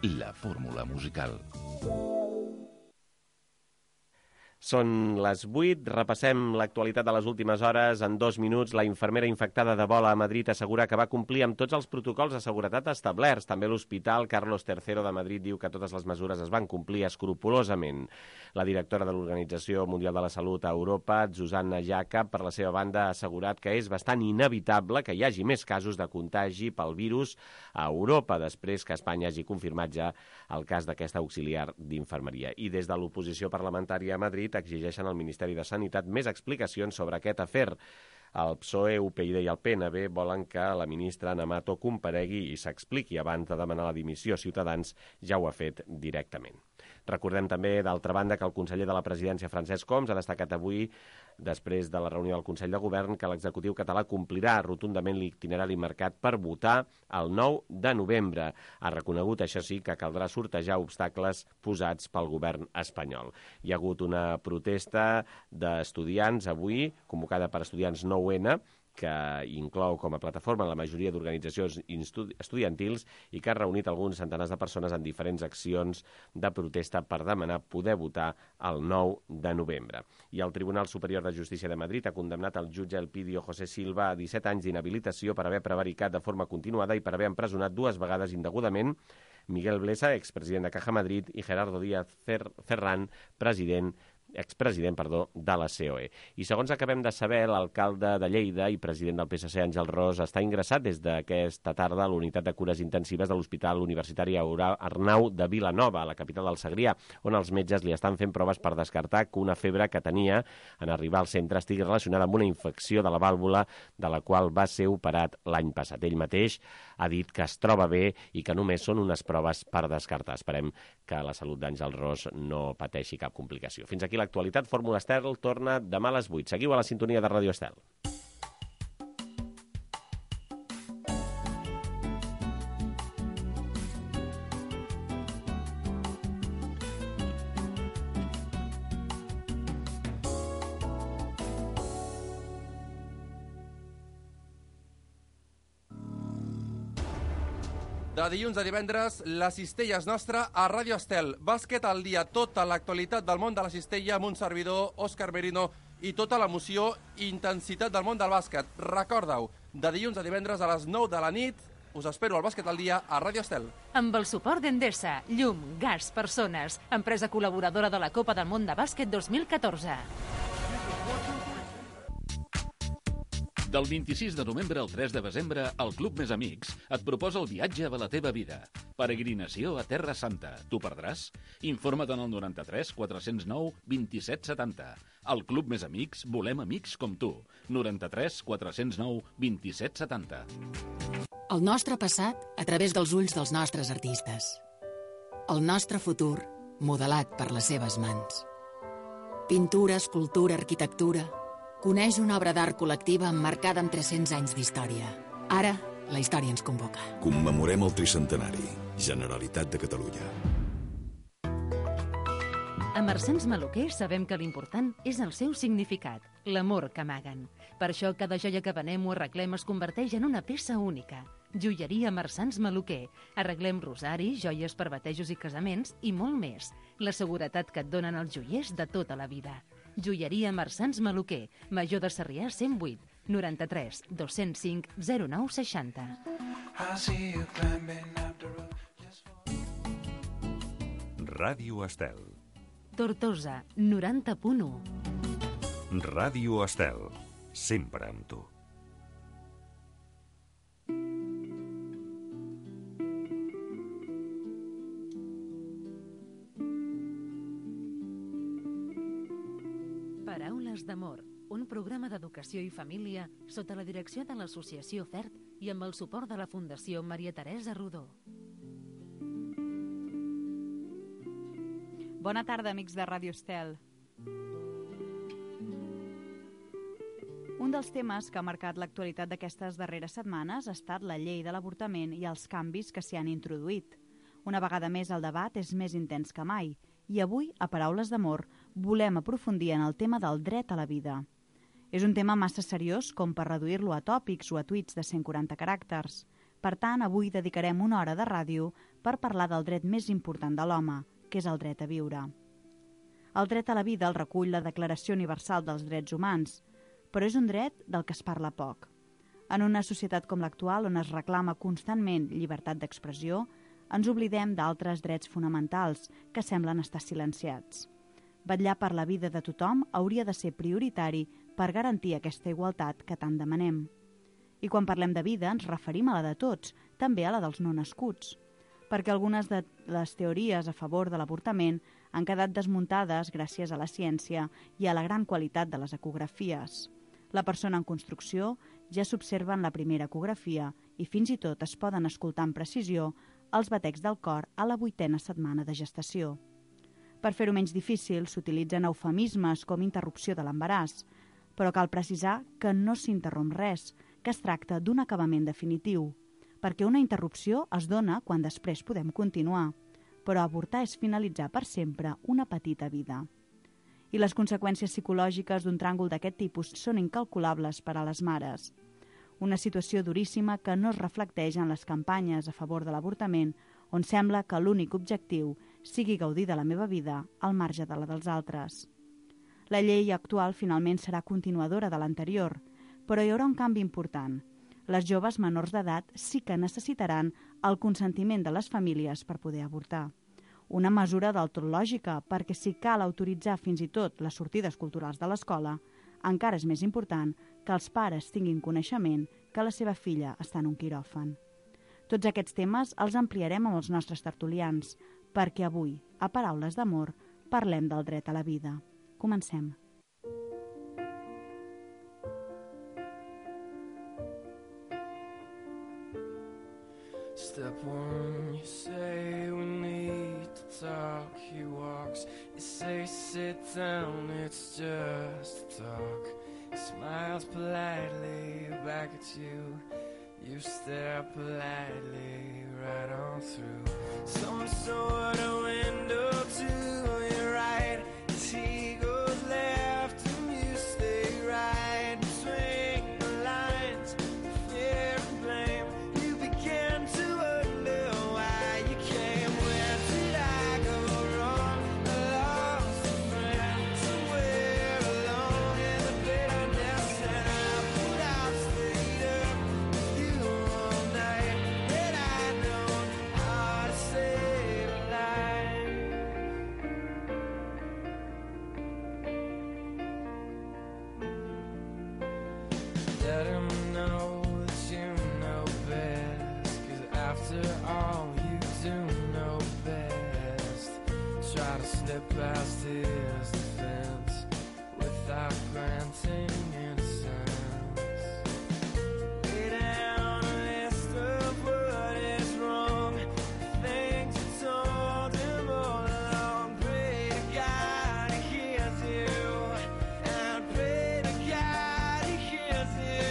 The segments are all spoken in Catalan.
la fórmula musical. Són les 8, repassem l'actualitat de les últimes hores. En 2 minuts, la infermera infectada d'Ebola a Madrid assegura que va complir amb tots els protocols de seguretat establerts. També l'Hospital Carlos III de Madrid diu que totes les mesures es van complir escrupolosament. La directora de l'Organització Mundial de la Salut a Europa, Zsuzsanna Jakab, per la seva banda, ha assegurat que és bastant inevitable que hi hagi més casos de contagi pel virus a Europa, després que Espanya hagi confirmat ja el cas d'aquesta auxiliar d'infermeria. I des de l'oposició parlamentària a Madrid exigeixen al Ministeri de Sanitat més explicacions sobre aquest afer. El PSOE, UPyD i el PNB volen que la ministra Ana Mato comparegui i s'expliqui abans de demanar la dimissió. Ciutadans ja ho ha fet directament. Recordem també, d'altra banda, que el conseller de la Presidència, Francesc Homs, ha destacat avui, després de la reunió del Consell de Govern, que l'executiu català complirà rotundament l'itinerari marcat per votar el 9 de novembre. Ha reconegut, això sí, que caldrà sortejar obstacles posats pel govern espanyol. Hi ha hagut una protesta d'estudiants avui, convocada per estudiants 9N, que inclou com a plataforma la majoria d'organitzacions estudiantils i que ha reunit alguns centenars de persones en diferents accions de protesta per demanar poder votar el 9 de novembre. I el Tribunal Superior de Justícia de Madrid ha condemnat el jutge Elpidio José Silva a 17 anys d'inhabilitació per haver prevaricat de forma continuada i per haver empresonat 2 vegades indegudament Miguel Blesa, expresident de Caja Madrid, i Gerardo Díaz Ferran, expresident de la COE. I segons acabem de saber, l'alcalde de Lleida i president del PSC, Àngel Ros, està ingressat des d'aquesta tarda a l'unitat de cures intensives de l'Hospital Universitari Arnau de Vilanova, a la capital del Segrià, on els metges li estan fent proves per descartar que una febre que tenia en arribar al centre estigui relacionada amb una infecció de la vàlvula de la qual va ser operat l'any passat. Ell mateix ha dit que es troba bé i que només són unes proves per descartar. Esperem que la salut d'Àngel Ros no pateixi cap complicació. Fins aquí l'actualitat. Fórmula Estel torna demà a les 8. Seguiu a la sintonia de Ràdio Estel. De dilluns a divendres, la cistella és nostra a Ràdio Estel. Bàsquet al dia, tota l'actualitat del món de la cistella amb un servidor, Òscar Merino, i tota l'emoció i intensitat del món del bàsquet. Recorda-ho, de dilluns a divendres a les 9 de la nit, us espero al Bàsquet al dia a Ràdio Estel. Amb el suport d'Endesa, llum, gas, persones, empresa col·laboradora de la Copa del Món de Bàsquet 2014. Del 26 de novembre al 3 de desembre, el Club Més Amics et proposa el viatge a la teva vida. Peregrinació a Terra Santa. Tu perdràs? Informa't en el 93 409 27 70. Al Club Més Amics volem amics com tu. 93 409 27 70. El nostre passat a través dels ulls dels nostres artistes. El nostre futur modelat per les seves mans. Pintura, escultura, arquitectura. Coneix una obra d'art col·lectiva emmarcada amb 300 anys d'història. Ara, la història ens convoca. Commemorem el tricentenari. Generalitat de Catalunya. A Marsans Maluquer sabem que l'important és el seu significat, l'amor que amaguen. Per això cada joia que venem o arreglem es converteix en una peça única. Joieria Marsans Maluquer. Arreglem rosaris, joies per batejos i casaments i molt més. La seguretat que et donen els joiers de tota la vida. Joieria Marsans Maluquer, Major de Sarrià 108, 93 205 09 60. Ràdio Estel. Tortosa, 90.1. Ràdio Estel. Sempre amb tu. Paraules d'amor, un programa d'educació i família sota la direcció de l'Associació FERT i amb el suport de la Fundació Maria Teresa Rodó. Bona tarda, amics de Ràdio Estel. Un dels temes que ha marcat l'actualitat d'aquestes darreres setmanes ha estat la llei de l'avortament i els canvis que s'hi han introduït. Una vegada més, el debat és més intens que mai i avui, a Paraules d'Amor, volem aprofundir en el tema del dret a la vida. És un tema massa seriós com per reduir-lo a tòpics o a tuits de 140 caràcters. Per tant, avui dedicarem una hora de ràdio per parlar del dret més important de l'home, que és el dret a viure. El dret a la vida el recull la Declaració Universal dels Drets Humans, però és un dret del que es parla poc. En una societat com l'actual, on es reclama constantment llibertat d'expressió, ens oblidem d'altres drets fonamentals que semblen estar silenciats. Vetllar per la vida de tothom hauria de ser prioritari per garantir aquesta igualtat que tant demanem. I quan parlem de vida ens referim a la de tots, també a la dels no nascuts, perquè algunes de les teories a favor de l'avortament han quedat desmuntades gràcies a la ciència i a la gran qualitat de les ecografies. La persona en construcció ja s'observa en la primera ecografia i fins i tot es poden escoltar amb precisió els batecs del cor a la 8a setmana de gestació. Per fer-ho menys difícil, s'utilitzen eufemismes com interrupció de l'embaràs, però cal precisar que no s'interromp res, que es tracta d'un acabament definitiu, perquè una interrupció es dona quan després podem continuar, però avortar és finalitzar per sempre una petita vida. I les conseqüències psicològiques d'un tràngol d'aquest tipus són incalculables per a les mares. Una situació duríssima que no es reflecteix en les campanyes a favor de l'avortament, on sembla que l'únic objectiu sigui gaudir de la meva vida al marge de la dels altres. La llei actual finalment serà continuadora de l'anterior, però hi haurà un canvi important. Les joves menors d'edat sí que necessitaran el consentiment de les famílies per poder avortar. Una mesura del tot lògica, perquè si cal autoritzar fins i tot les sortides culturals de l'escola, encara és més important que els pares tinguin coneixement que la seva filla està en un quiròfan. Tots aquests temes els ampliarem amb els nostres tertulians, perquè avui, a Paraules d'Amor, parlem del dret a la vida. Comencem. Step one, you say we need to talk. He walks, you say sit down, it's just a talk. He smiles politely back at you. You stare politely right on through some sort of window to your right. As he goes left and you stay right between the lines of fear and blame. You begin to wonder why you came. Where did I go wrong? I lost a friend somewhere along in the bitterness, and I put out straight up with you all night. Had I known how to save a life. Let him know that you know best, 'cause after all you do know best. Try to slip past his defense without granting innocence. Lay down a list of what is wrong, things you told him all along. Pray to God he hears you, and pray to God he hears you.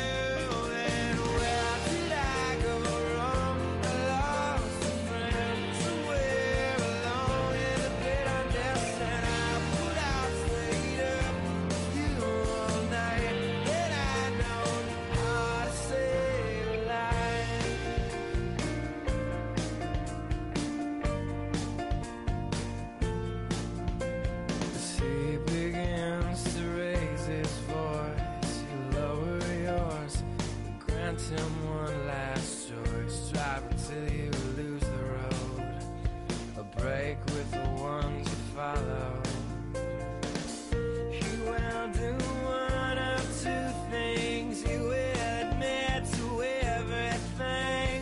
Then where did I go wrong? I lost a friend somewhere along in the bitterness, and I put out straight up with you all night. Then I know how to save a life. As he begins to raise his voice, you lower yours, grant him one last choice. Drive until you lose the road, a break with the ones you follow. He will do one of two things. He will admit to everything,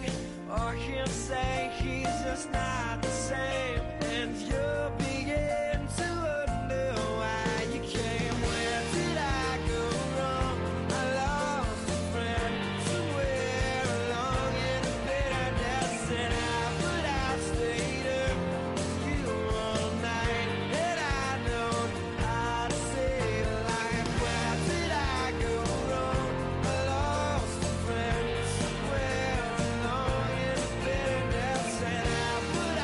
or he'll say he's just not the same, and you'll begin to wonder why you came. Where did I go wrong? I lost a friend somewhere along in the bitterness, and I put out straight up with you all night. And I know how to save a life. Where did I go wrong? I lost a friend somewhere along in the bitterness, and I put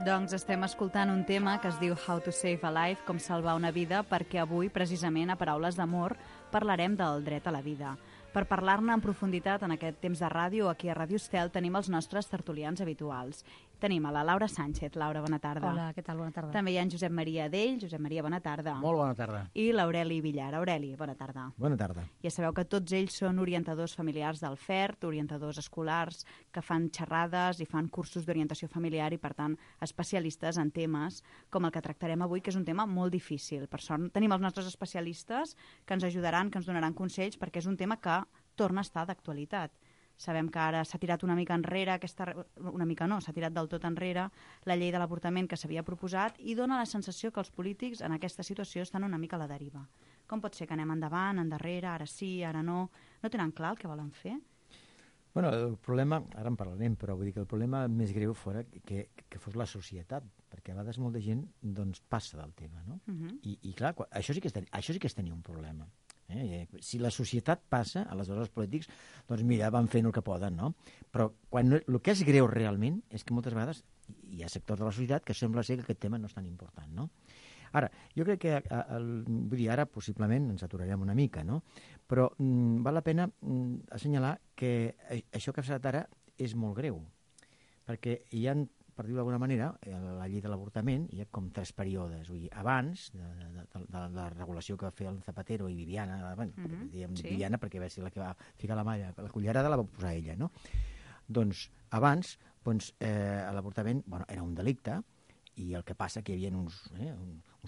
Doncs estem escoltant un tema que es diu How to Save a Life, com salvar una vida, perquè avui, precisament, a Paraules d'Amor, parlarem del dret a la vida. Per parlar-ne en profunditat en aquest temps de ràdio, aquí a Ràdio Estel tenim els nostres tertulians habituals. Tenim a la Laura Sánchez. Laura, bona tarda. Hola, què tal? Bona tarda. També hi ha en Josep Maria Adell. Josep Maria, bona tarda. Molt bona tarda. I l'Aureli Villar. Aureli, bona tarda. Bona tarda. Ja sabeu que tots ells són orientadors familiars del FERT, orientadors escolars, que fan xerrades i fan cursos d'orientació familiar i, per tant, especialistes en temes com el que tractarem avui, que és un tema molt difícil. Per sort, tenim els nostres especialistes que ens ajudaran, que ens donaran consells, perquè és un tema que torna a estar d'actualitat. Sabem que ara s'ha tirat una mica enrere, s'ha tirat del tot enrere la llei de l'avortament que s'havia proposat i dona la sensació que els polítics en aquesta situació estan una mica a la deriva. Com pot ser que anem endavant, endarrere, ara sí, ara no? No tenen clar el que volen fer? Bueno, el problema, ara en parlarem, però vull dir que el problema més greu fora que fos la societat, perquè a vegades molta gent doncs, passa del tema, no? I clar, això sí que és tenir un problema. Si la societat passa, aleshores els polítics, doncs mira, van fent el que poden, no? Però el que és greu realment és que moltes vegades hi ha sectors de la societat que sembla ser que aquest tema no és tan important, no? Ara, jo crec que, vull dir, ara possiblement ens aturarem una mica, no? Però val la pena assenyalar que això que ha passat ara és molt greu, perquè hi ha, per dir-ho d'alguna manera, la llei de l'avortament hi ha com 3 períodes. Vull dir, abans de la regulació que va fer el Zapatero i Viviana, diguem Viviana perquè va ser la que va ficar la cullerada la va posar ella, no? Doncs abans l'avortament era un delicte i el que passa que hi havia uns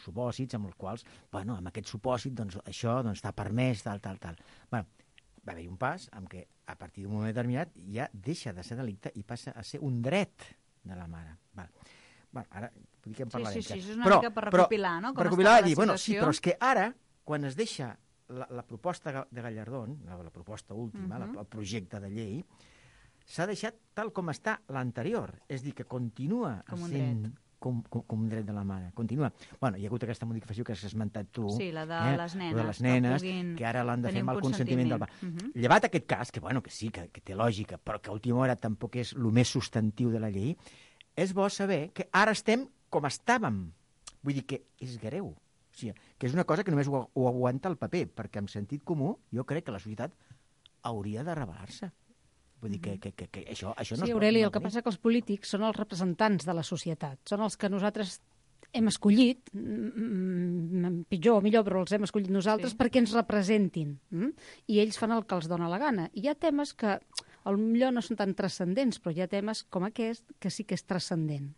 supòsits amb els quals, amb aquest supòsit, doncs això està permès, tal. Va haver-hi un pas en què a partir d'un moment determinat ja deixa de ser delicte i passa a ser un dret de la mare. Ara vull dir que en parlarem. Sí, és una mica per recopilar, no? Per recopilar i dir, sí, però és que ara, quan es deixa la proposta de Gallardón, la proposta última, el projecte de llei, s'ha deixat tal com està l'anterior. És dir, que continua sent com un dret de la mare. Continua. Hi ha hagut aquesta modificació que has esmentat tu. Sí, la de les nenes, que ara l'han de fer amb el consentiment del pare. Llevat aquest cas, que sí, que té lògica, però que a última hora tampoc és el més substantiu de la llei, és bo saber que ara estem com estàvem. Vull dir que és greu. O sigui, que és una cosa que només ho aguanta el paper, perquè en sentit comú jo crec que la societat hauria de rebel·lar-se. Vull dir que això no es pot... Sí, Aureli, el que passa que els polítics són els representants de la societat, són els que nosaltres hem escollit, pitjor o millor, però els hem escollit nosaltres perquè ens representin, i ells fan el que els dona la gana. I hi ha temes que potser no són tan transcendents, però hi ha temes com aquest que sí que és transcendent.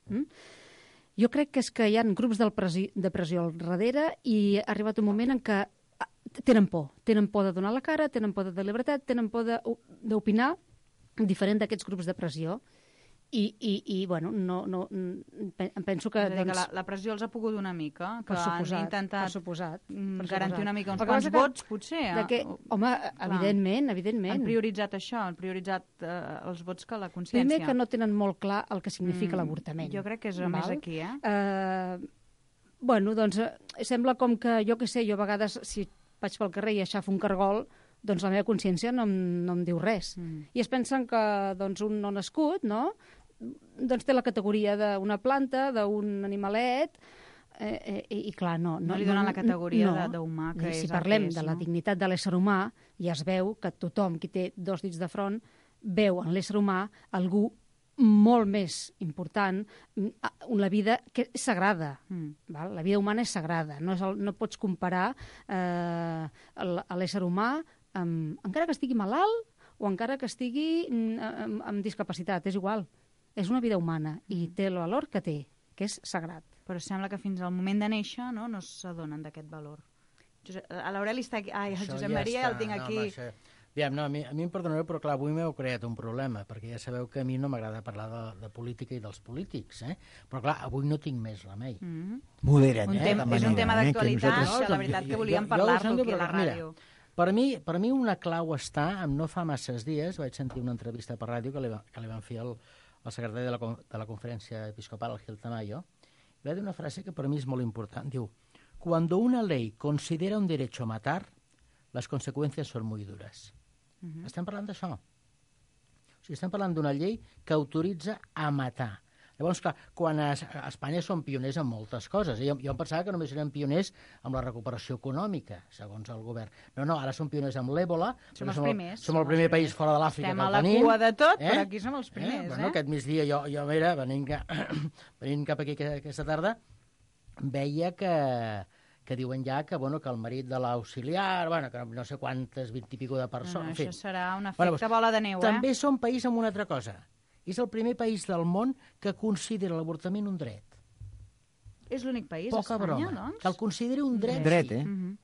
Jo crec que és que hi ha grups de pressió al darrere i ha arribat un moment en què tenen por de donar la cara, tenen por de la llibertat, tenen por d'opinar diferent d'aquests grups de pressió i bueno, em penso que... La pressió els ha pogut una mica, que han intentat garantir una mica uns quants vots, potser. Home, evidentment. Han prioritzat això, han prioritzat els vots que la consciència. Primer que no tenen molt clar el que significa l'avortament. Jo crec que és més aquí, Bueno, doncs sembla com que, jo què sé, jo a vegades si vaig pel carrer i aixafo un cargol, doncs la meva consciència no em diu res. I es pensen que doncs, un no nascut, no?, doncs té la categoria d'una planta, d'un animalet, i clar, no li donen la categoria d'humà que és. Si parlem de la dignitat de l'ésser humà, ja es veu que tothom qui té 2 dits de front veu en l'ésser humà algú molt més important, una vida que és sagrada. La vida humana és sagrada. No pots comparar l'ésser humà encara que estigui malalt o encara que estigui amb discapacitat. És igual. És una vida humana i té el valor que té, que és sagrat. Però sembla que fins al moment de néixer no s'adonen d'aquest valor. L'Aureli està aquí. Ai, el Josep Maria el tinc aquí. A mi em perdonareu, però clar, avui m'heu creat un problema, perquè ja sabeu que a mi no m'agrada parlar de política i dels polítics, però clar, avui no tinc més remei. Modera't, és un tema d'actualitat, la veritat que volíem parlar-lo aquí a la ràdio. Per mi una clau està, no fa masses dies, vaig sentir una entrevista per ràdio que li van fer al secretari de la Conferència Episcopal, el Gil Tamayo, i va dir una frase que per mi és molt important. Diu, cuando una ley considera un derecho matar, las consecuencias son muy duras. Estem parlant d'això. O sigui, estem parlant d'una llei que autoritza a matar. Llavors, clar, quan a Espanya són pioners en moltes coses. Jo em pensava que només eren pioners amb la recuperació econòmica, segons el govern. No, ara són pioners amb l'èbola. Som els primers. Som el primer país fora de l'Àfrica que el tenim. Estem a la cua de tot, però aquí som els primers. Bueno, aquest migdia jo mira, venint cap aquí aquesta tarda, veia que diuen ja que el marit de l'auxiliar, que no sé quantes, 20 i pico de persones... Això serà un efecte bola de neu, També som país amb una altra cosa. És el primer país del món que considera l'avortament un dret. És l'únic país, Poca Espanya, broma. doncs? Que el consideri un dret. Dret,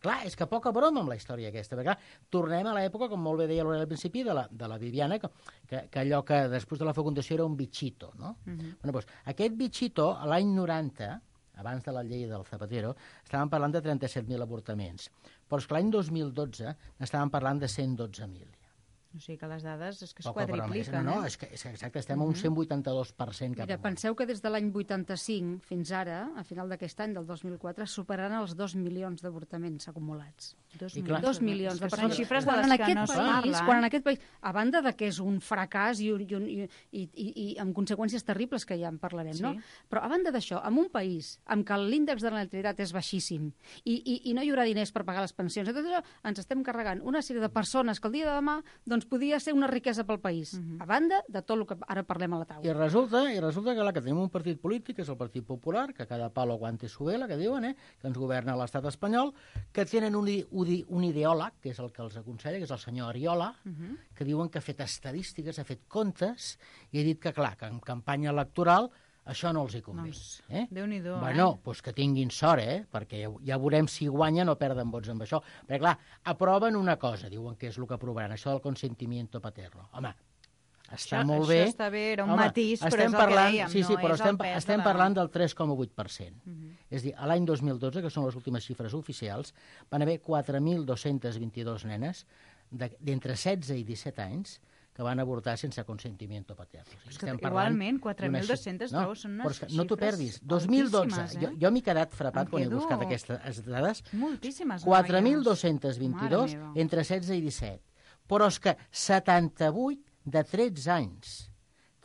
Clar, és que poca broma amb la història aquesta. Perquè, clar, tornem a l'època, com molt bé deia l'Aureli al principi, de la Viviana, que allò que després de la fecundació era un bitxito, no? Doncs, aquest bitxito, a l'any 90, abans de la llei del Zapatero, estàvem parlant de 37.000 avortaments. Però és que l'any 2012 n'estàvem parlant de 112.000. O sigui que les dades és que es Poca broma. quadripliquen. No, és que exacte, estem a un 182% cap Mira, penseu que des de l'any 85 fins ara, a final d'aquest any, del 2004, superaran els 2 milions d'avortaments acumulats. 2 milions de persones. Són xifres de quan les en que no es parla. Quan en aquest país, a banda de que és un fracàs i amb conseqüències terribles, que ja en parlarem, no? Però a banda d'això, en un país en què l'índex de natalitat és baixíssim i no hi haurà diners per pagar les pensions, tot això, ens estem carregant una sèrie de persones que el dia de demà podia ser una riquesa pel país, a banda de tot el que ara parlem a la taula. I resulta que tenim un partit polític, que és el Partit Popular, que cada palo aguante su vela, que diuen, que ens governa l'estat espanyol, que tenen un ideòleg, que és el que els aconsella, que és el senyor Ariola, que diuen que ha fet estadístiques, ha fet comptes, i ha dit que, clar, que en campanya electoral això no els hi convé. Déu-n'hi-do, Doncs que tinguin sort, perquè ja veurem si guanyen o perden vots amb això. Perquè, clar, aproven una cosa, diuen que és el que aprovaran, això del consentimiento paterno. Home, està molt bé. Això està bé, era un matís, però és el que dèiem, estem parlant del 3,8%. És a dir, a l'any 2012, que són les últimes xifres oficials, van haver 4.222 nenes d'entre 16 i 17 anys que van avortar sense consentimiento paterno. O sigui, igualment, 4.200 són unes xifres no t'ho perdis. 2012, jo m'he quedat frapat quan he buscat aquestes dades. Moltíssimes 4.222 entre 16 i 17. Però és que 78 de 13 anys,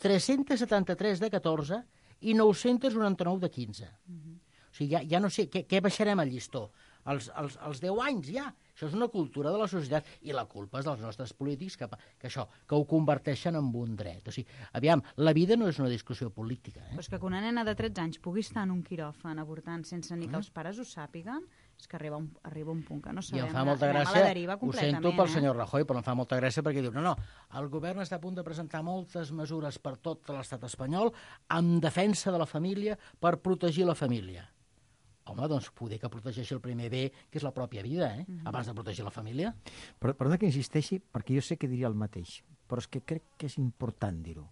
373 de 14 i 999 de 15. O sigui, ja no sé, què baixarem al llistó? Els 10 anys ja. Això és una cultura de la societat i la culpa és dels nostres polítics que ho converteixen en un dret. O sigui, aviam, la vida no és una discussió política. Però és que una nena de 13 anys pugui estar en un quiròfan avortant sense ni que els pares ho sàpiguen, és que arriba un punt que no sabem. I em fa molta gràcia, ho sento pel senyor Rajoy, però em fa molta gràcia perquè diu, no, el govern està a punt de presentar moltes mesures per tot l'estat espanyol en defensa de la família per protegir la família. Home, doncs poder que protegeixi el primer bé, que és la pròpia vida, abans de protegir la família. Perdona que insisteixi, perquè jo sé que diria el mateix, però és que crec que és important dir-ho.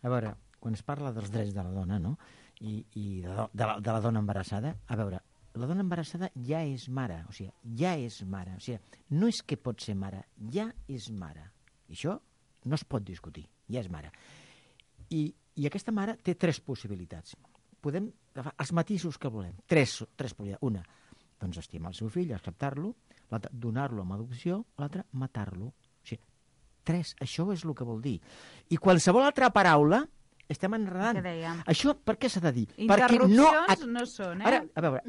A veure, quan es parla dels drets de la dona, no?, i de la dona embarassada, a veure, la dona embarassada ja és mare, o sigui, no és que pot ser mare, ja és mare. I això no es pot discutir, ja és mare. I aquesta mare té 3 possibilitats. Podem agafar els matisos que volem. 3 possibilitats. Una, doncs estimar el seu fill, acceptar-lo. L'altra, donar-lo amb adopció. L'altra, matar-lo. O sigui, 3, això és el que vol dir. I qualsevol altra paraula estem enredant. Això per què s'ha de dir? Interrupcions no són, Ara, a veure,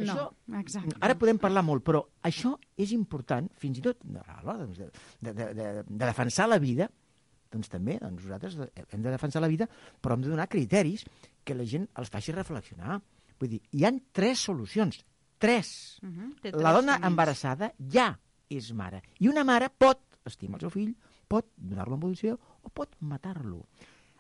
ara podem parlar molt, però això és important, fins i tot a l'hora de defensar la vida. Doncs també nosaltres hem de defensar la vida, però hem de donar criteris que la gent els faci reflexionar. Vull dir, hi ha 3 solucions. 3. La dona embarassada ja és mare. I una mare pot estimar el seu fill, pot donar-lo en adopció o pot matar-lo.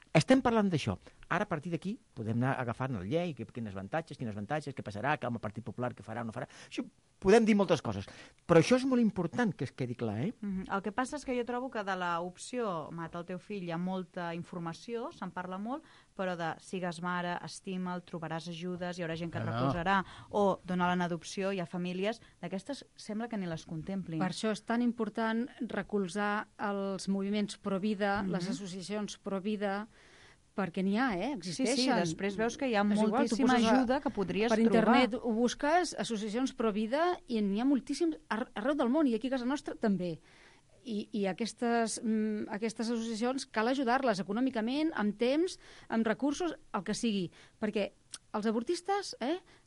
Estem parlant d'això. Ara, a partir d'aquí, podem anar agafant la llei, quins avantatges, què passarà, que el Partit Popular què farà o no farà. Això podem dir moltes coses, però això és molt important que es quedi clar, El que passa és que jo trobo que de l'opció mata el teu fill hi ha molta informació, se'n parla molt, però de sigues mare, estima'l, trobaràs ajudes, hi haurà gent que et recolzarà, o donar-la en adopció, hi ha famílies, d'aquestes sembla que ni les contemplin. Per això és tan important recolzar els moviments pro-vida, les associacions pro-vida, perquè n'hi ha, existeixen. Sí, després veus que hi ha moltíssima ajuda que podries trobar. Per internet ho busques, associacions pro-vida, i n'hi ha moltíssims arreu del món, i aquí a casa nostra també. I aquestes associacions cal ajudar-les econòmicament, amb temps, amb recursos, el que sigui, perquè els avortistes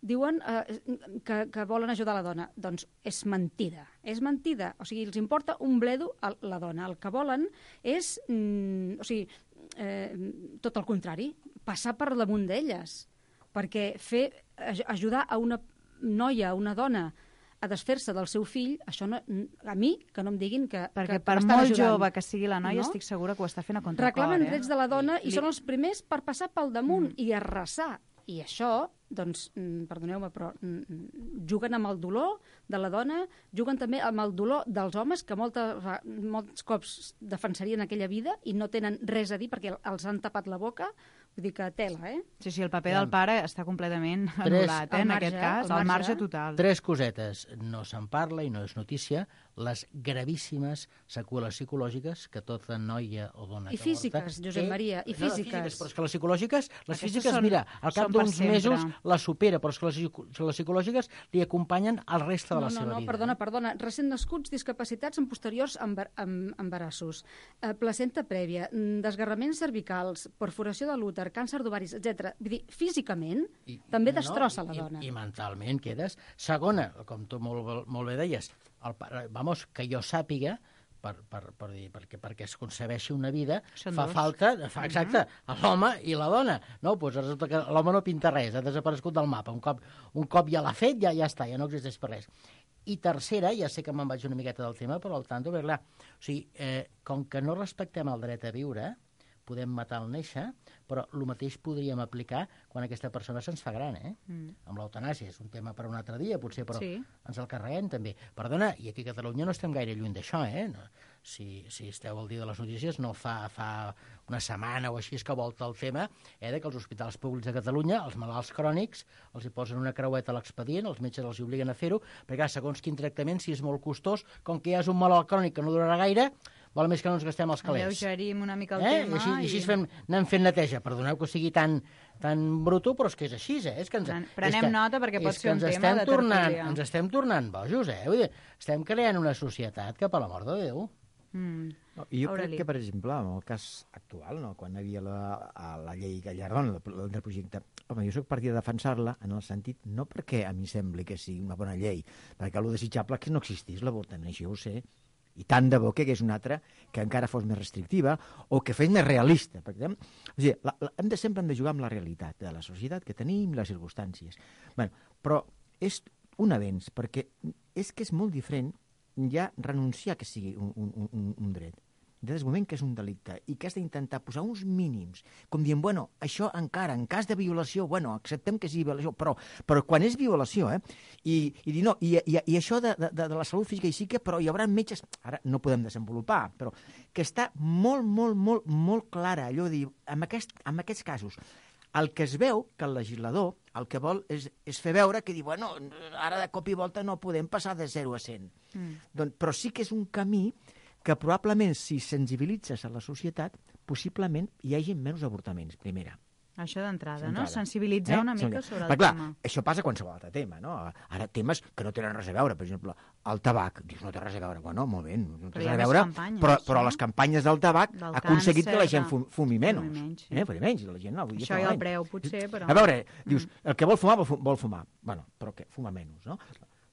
diuen que volen ajudar la dona. Doncs és mentida, o sigui, els importa un bledo a la dona. El que volen és, tot el contrari, passar per damunt d'elles, perquè ajudar a una noia, a una dona, a desfer-se del seu fill, això no, a mi, que no em diguin que perquè per molt jove que sigui la noia, estic segura que ho està fent a contracor. Reclamen drets de la dona i són els primers per passar pel damunt i arrasar. I això, doncs, perdoneu-me, però juguen amb el dolor de la dona, juguen també amb el dolor dels homes, que molts cops defensarien aquella vida i no tenen res a dir perquè els han tapat la boca. Vull dir que tela, Sí, el paper del pare està completament anul·lat, en aquest cas, al marge total. 3 cosetes. No se'n parla i no és notícia, les gravíssimes seqüeles psicològiques que tota noia o dona I físiques, Josep Maria, i físiques. Però és que les psíquiques, mira, al cap d'uns mesos les supera, però és que les psicològiques li acompanyen el reste de la seva vida. No, perdona. Recent nascuts, discapacitats en posteriors embarassos, placenta prèvia, desgarraments cervicals, perforació de l'úter, càncer d'ovaris, etc. Vull dir, físicament també destrossa la dona. I mentalment quedes. Segona, com tu molt bé deies, que jo sàpiga, perquè es concebeixi una vida, fa falta, exacte, l'home i la dona. No, doncs resulta que l'home no pinta res, ha desaparegut del mapa. Un cop ja l'ha fet, ja està, ja no existeix per res. I tercera, ja sé que me'n vaig una miqueta del tema, però al tanto, perquè clar, o sigui, com que no respectem el dret a viure, podem matar al néixer, però el mateix podríem aplicar quan aquesta persona se'ns fa gran, amb l'eutanàsia. És un tema per un altre dia, potser, però ens el carreguem també. Perdona, i aquí a Catalunya no estem gaire lluny d'això, No, si esteu al dia de les notícies, no fa una setmana o així que volta el tema de que els hospitals públics de Catalunya, els malalts crònics, els hi posen una creueta a l'expedient, els metges els hi obliguen a fer-ho, perquè segons quin tractament, si és molt costós, com que ja és un malalt crònic que no durarà gaire, val més que no ens gastem els calés. Alleugerim una mica el tema. I així anem fent neteja. Perdoneu que sigui tan bruto, però és que és així, És que prenem nota perquè pot ser un tema de tertúlia. Ens estem tornant bojos, Vull dir, estem creant una societat que, per l'amor de Déu... Jo crec que, per exemple, en el cas actual, quan hi havia la llei Gallardón, del projecte, home, jo soc partida de defensar-la en el sentit, no perquè a mi sembli que sigui una bona llei, perquè el desitjable és que no existís l'avortament, això ho sé, i tant de bo que és una altra que encara fos més restrictiva o que fes més realista. Perquè, sempre hem de jugar amb la realitat de la societat que tenim i les circumstàncies. Però és un avenç, perquè és que és molt diferent ja renunciar que sigui un dret. Des del moment que és un delicte i que has d'intentar posar uns mínims, com dient, això encara, en cas de violació, acceptem que sigui violació, però quan és violació, i dir, no, i això de la salut física i psíquica, però hi haurà metges, ara no podem desenvolupar, però que està molt, molt, molt, molt clara, allò de dir, en aquests casos, el que es veu que el legislador el que vol és fer veure que diu, ara de cop i volta no podem passar de 0 a 100. Però sí que és un camí que probablement, si sensibilitzes a la societat, possiblement hi hagi menys avortaments, primera. Això d'entrada, no? Sensibilitzar una mica sobre el tema. Això passa a qualsevol altre tema, no? Ara, temes que no tenen res a veure, per exemple, el tabac. Dius, no té res a veure. Molt bé, no té res a veure, però les campanyes del tabac ha aconseguit que la gent fumi menys. Fumi menys, la gent no. Això i el preu, potser, però... A veure, dius, el que vol fumar. Però què? Fuma menys, no?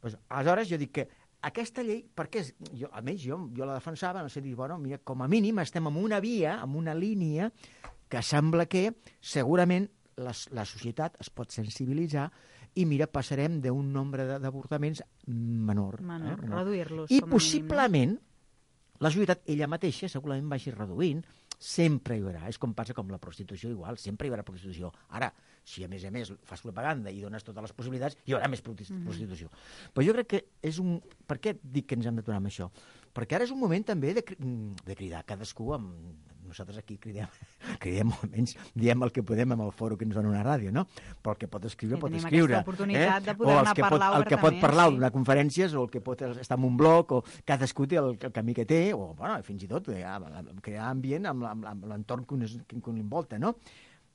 Aleshores, jo dic que aquesta llei, perquè almenys jo la defensava, no sé dir, mira, com a mínim estem en una via, en una línia, que sembla que segurament la societat es pot sensibilitzar i mira, passarem d'un nombre d'avortaments menor. Reduir-los. I possiblement la societat ella mateixa segurament vagi reduint, sempre hi haurà, és com passa com la prostitució igual, sempre hi haurà prostitució. Ara, si a més fas propaganda i dones totes les possibilitats, hi haurà més prostitució. Però jo crec que és un... Per què dic que ens hem d'aturar amb això? Perquè ara és un moment també de cridar cadascú amb... Nosaltres aquí cridem almenys, diem el que podem amb el foro que ens dona una ràdio, no? Però el que pot escriure, pot escriure. Aquesta oportunitat de poder-ne parlar obertament. El que pot parlar d'una conferències, o el que pot estar en un blog, o cadascú té el camí que té, o fins i tot crear ambient amb l'entorn que l'envolta, no?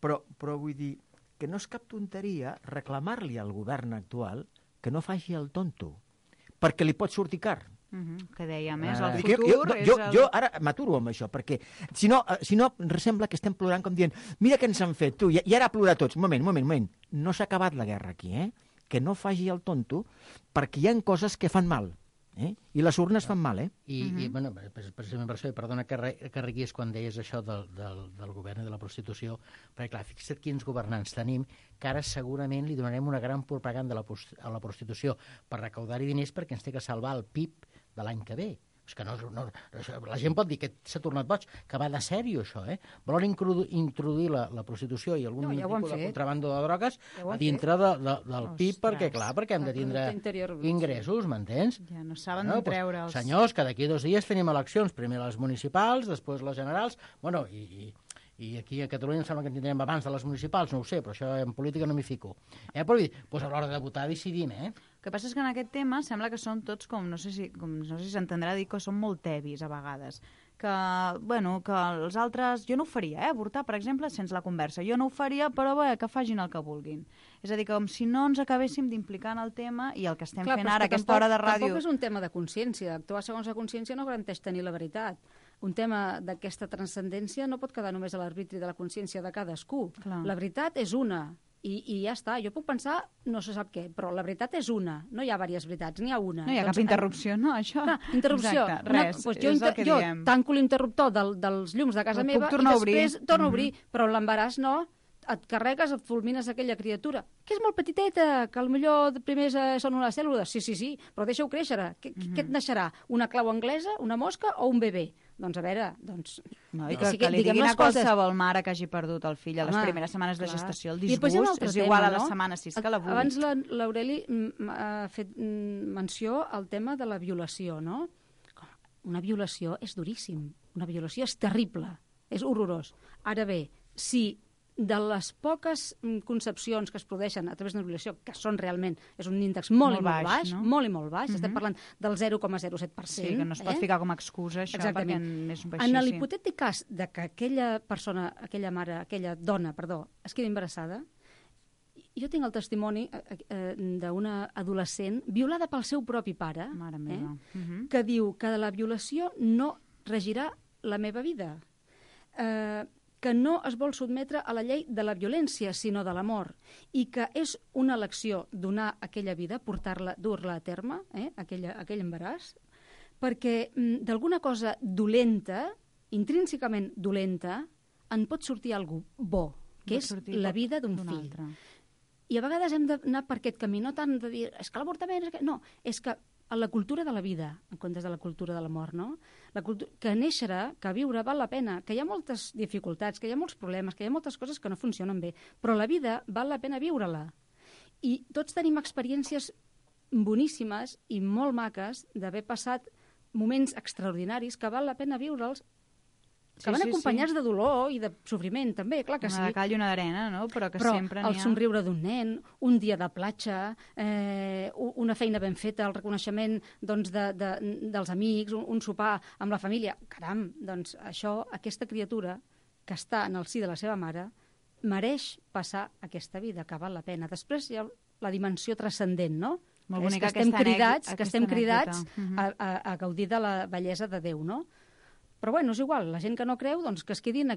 Però vull dir que no és cap tonteria reclamar-li al govern actual que no faci el tonto, perquè li pot sortir car. Que dèiem, és el futur... Jo ara m'aturo amb això, perquè si no sembla que estem plorant com dient mira què ens han fet, tu, i ara plorar tots. Un moment. No s'ha acabat la guerra aquí, Que no faci el tonto, perquè hi ha coses que fan mal. I les urnes fan mal, Bueno, precisament per això, i perdona que reguis quan deies això del govern i de la prostitució, perquè clar, fixa't quins governants tenim, que ara segurament li donarem una gran propaganda a la prostitució per recaudar-hi diners perquè ens té que salvar el PIB de l'any que ve. És que la gent pot dir que s'ha tornat boig, que va de sèrio això, Volen introduir la prostitució i algun tipus de contrabando de drogues a dintre del PIB, perquè hem de tindre ingressos, m'entens? Ja no saben treure'ls. Senyors, que d'aquí 2 dies tenim eleccions, primer les municipals, després les generals, bueno, i aquí a Catalunya em sembla que en tindrem abans de les municipals, no ho sé, però això en política no m'hi fico. Però a l'hora de votar decidim, El que passa és que en aquest tema sembla que són tots no sé si s'entendrà dir que són molt tebis a vegades. Que els altres... Jo no ho faria, avortar, per exemple, sense la conversa. Jo no ho faria, però que facin el que vulguin. És a dir, com si no ens acabéssim d'implicar en el tema i el que estem fent ara, aquesta hora de ràdio... Tampoc és un tema de consciència. Actuar segons la consciència no garanteix tenir la veritat. Un tema d'aquesta transcendència no pot quedar només a l'arbitri de la consciència de cadascú. Clar. La veritat és una, i ja està. Jo puc pensar no se sap què, però la veritat és una. No hi ha diverses veritats, n'hi ha una. No hi ha cap interrupció, no, això? Interrupció. Exacte, res, jo tanco l'interruptor dels llums de casa meva i després torno a obrir, però l'embaràs no. Et carregues, et fulmines aquella criatura, que és molt petiteta, que potser primer són unes cèl·lules. Sí, però deixa-ho créixer. Què et naixerà? Una clau anglesa, una mosca o un bebè? Doncs a veure, No, i que li diguin a qualsevol mare que hagi perdut el fill a les primeres setmanes de gestació. El disgust és igual a la setmana 6 que la 8. Abans l'Aureli ha fet menció al tema de la violació, no? Una violació és duríssim. Una violació és terrible. És horrorós. Ara bé, si de les poques concepcions que es produeixen a través d'una violació, que són realment, és un índex molt baix, no? Molt i molt baix, estem parlant del 0,07%. Sí, que no es pot ficar com a excusa això, perquè és baixíssim. En l'hipotètic cas de que aquella persona, aquella dona, es quedi embarassada, jo tinc el testimoni d'una adolescent violada pel seu propi pare, que diu que la violació no regirà la meva vida, que no es vol sotmetre a la llei de la violència, sinó de l'amor, i que és una elecció donar aquella vida, dur-la a terme, aquell embaràs, perquè d'alguna cosa dolenta, intrínsecament dolenta, en pot sortir alguna cosa bo, que és la vida d'un fill. I a vegades hem d'anar per aquest camí, no tant de dir, és que l'avortament... No, és que a la cultura de la vida, en comptes de la cultura de la mort, no? Que néixer, que viure val la pena, que hi ha moltes dificultats, que hi ha molts problemes, que hi ha moltes coses que no funcionen bé, però la vida val la pena viure-la. I tots tenim experiències boníssimes i molt maques d'haver passat moments extraordinaris que val la pena viure'ls, que van acompanyats de dolor i de sofriment, també, clar que sí. Una de cal i una d'arena, no? Però sempre n'hi ha... el somriure d'un nen, un dia de platja, una feina ben feta, el reconeixement dels amics, un sopar amb la família. Caram, doncs això, aquesta criatura que està en el si de la seva mare, mereix passar aquesta vida, que val la pena. Després hi ha la dimensió transcendent, no? Molt bonica que estem cridats a gaudir de la bellesa de Déu, no? Però bueno, és igual, la gent que no creu, doncs que es quedi en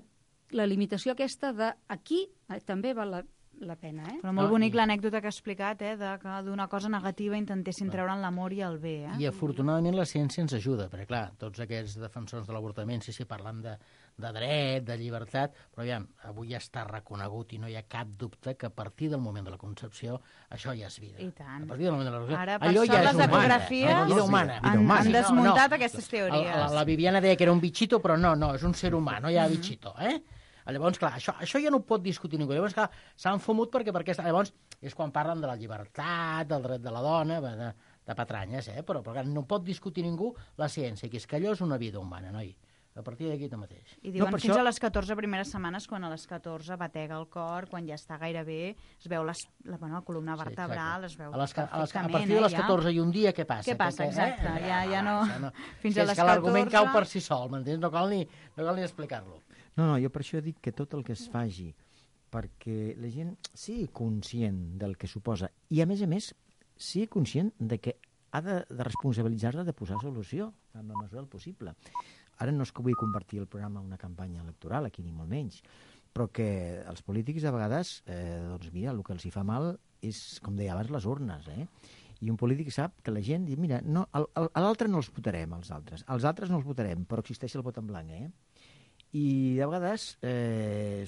la limitació aquesta de aquí també val la pena, Però molt bonic l'anècdota que ha explicat, de que d'una cosa negativa intentessin treure'n l'amor i el bé, I afortunadament la ciència ens ajuda, perquè clar, tots aquests defensors de l'avortament, sí, parlen de dret, de llibertat, però aviam, avui ja està reconegut i no hi ha cap dubte que a partir del moment de la concepció això ja és vida. I tant. A partir del moment de la concepció, ara, per això les ecografies han desmuntat aquestes teories. La Viviana deia que era un bichito, però no, és un ser humà, no hi ha bichito, Llavors, clar, això ja no ho pot discutir ningú. Llavors, clar, s'han fumut perquè llavors és quan parlen de la llibertat, del dret de la dona, de patranyes, però clar, no pot discutir ningú la ciència, que és que allò és una vida humana, noi. A partir d'aquí mateix. I diuen fins a les 14 primeres setmanes, quan a les 14 batega el cor, quan ja està gairebé, es veu la columna vertebral, es veu perfectament. A partir de les 14 i un dia, què passa? Què passa, exacte, ja no... Fins a les 14... És que l'argument cau per si sol, m'entens? No cal ni explicar-lo. No, jo per això dic que tot el que es faci perquè la gent sigui conscient del que suposa i, a més, sigui conscient de que ha de responsabilitzar-la de posar solució en la mesura del possible. Ara no és que vull convertir el programa en una campanya electoral, aquí ni molt menys, però que els polítics a vegades, doncs mira, el que els hi fa mal és, com deia abans, les urnes, I un polític sap que la gent diu, mira, no, a l'altre no els votarem, als altres no els votarem, però existeix el vot en blanc, I de vegades,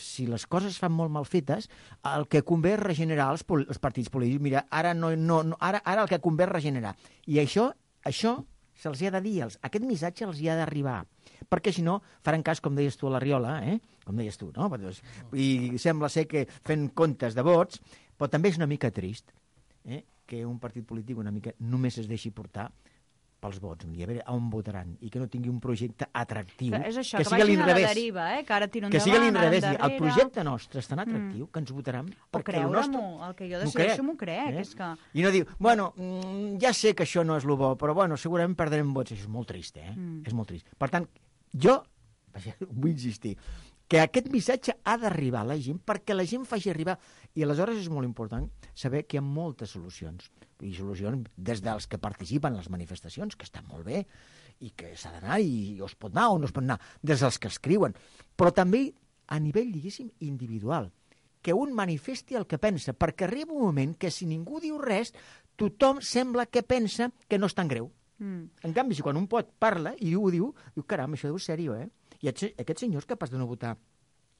si les coses fan molt mal fetes, el que convé és regenerar els partits polítics. Mira, ara el que convé és regenerar. I això se'ls ha de dir, aquest missatge els hi ha d'arribar, perquè si no faran cas, com deies tu a la Riola, com deies tu, no? I sembla ser que fent comptes de vots, però també és una mica trist que un partit polític una mica només es deixi portar pels vots, a veure on votaran, i que no tingui un projecte atractiu, és això, que sigui a l'inrevés. Que ara tiro endavant, que sigui a l'inrevés. El projecte nostre és tan atractiu que ens votaran perquè el nostre... el que jo decideixo m'ho crec. És que... I no diu, bueno, ja sé que això no és el bo, però bueno, segurament perdrem vots. Això és molt trist, És molt trist. Per tant, jo vull insistir que aquest missatge ha d'arribar a la gent perquè la gent faci arribar. I aleshores és molt important saber que hi ha moltes solucions. I solucions des dels que participen en les manifestacions, que estan molt bé, i que s'ha d'anar i es pot anar o no es pot anar, des dels que escriuen. Però també a nivell, diguéssim, individual. Que un manifesti el que pensa, perquè arriba un moment que si ningú diu res, tothom sembla que pensa que no és tan greu. En canvi, si quan un parla i ho diu, caram, això deu ser sèrio, I aquest senyor és capaç de no votar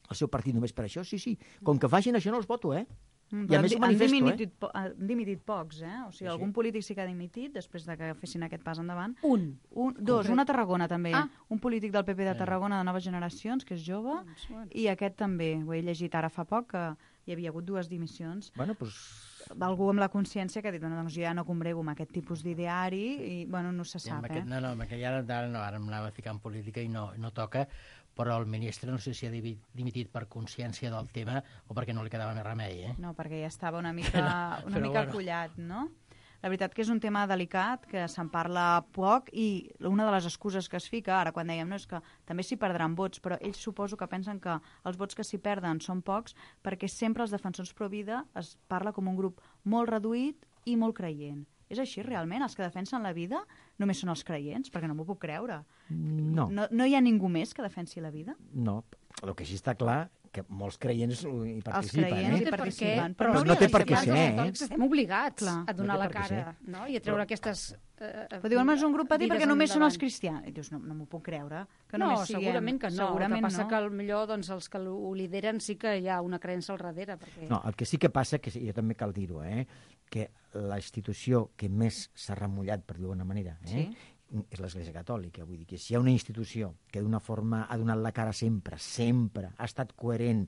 el seu partit només per això? Sí. Com que facin això no els voto, I a més ho manifesto, Han dimitit pocs, O sigui, algun polític sí que ha dimitit després de que fessin aquest pas endavant. Dos, una a Tarragona també. Un polític del PP de Tarragona de noves generacions, que és jove, i aquest també. Ho he llegit ara fa poc, que hi havia hagut 2 dimissions. D'algú amb la consciència que ha dit, doncs jo ja no combrego amb aquest tipus d'ideari i, no se sap, No, perquè ara m'anava a ficar en política i no toca, però el ministre no sé si ha dimitit per consciència del tema o perquè no li quedava més remei, No, perquè ja estava una mica acollat, no? La veritat que és un tema delicat, que se'n parla poc i una de les excuses que es fica, ara quan dèiem, és que també s'hi perdran vots, però ells suposo que pensen que els vots que s'hi perden són pocs perquè sempre els defensors pro-vida es parla com un grup molt reduït i molt creient. És així, realment? Els que defensen la vida només són els creients? Perquè no m'ho puc creure. No. No hi ha ningú més que defensi la vida? No. El que sí està clar que molts creients hi participen. Els creients hi participen. Però no té per què ser, Estem obligats a donar la cara, no? I a treure aquestes... Però diuen, és un grup petit perquè només són els cristians. I dius, no m'ho puc creure. No, segurament que no. El que passa que potser els que ho lideren sí que hi ha una creença al darrere. No, el que sí que passa, que jo també cal dir-ho, que la institució que més s'ha remullat, per dir-ho d'una manera, és l'Església Catòlica. Vull dir que si hi ha una institució que d'una forma ha donat la cara sempre, ha estat coherent,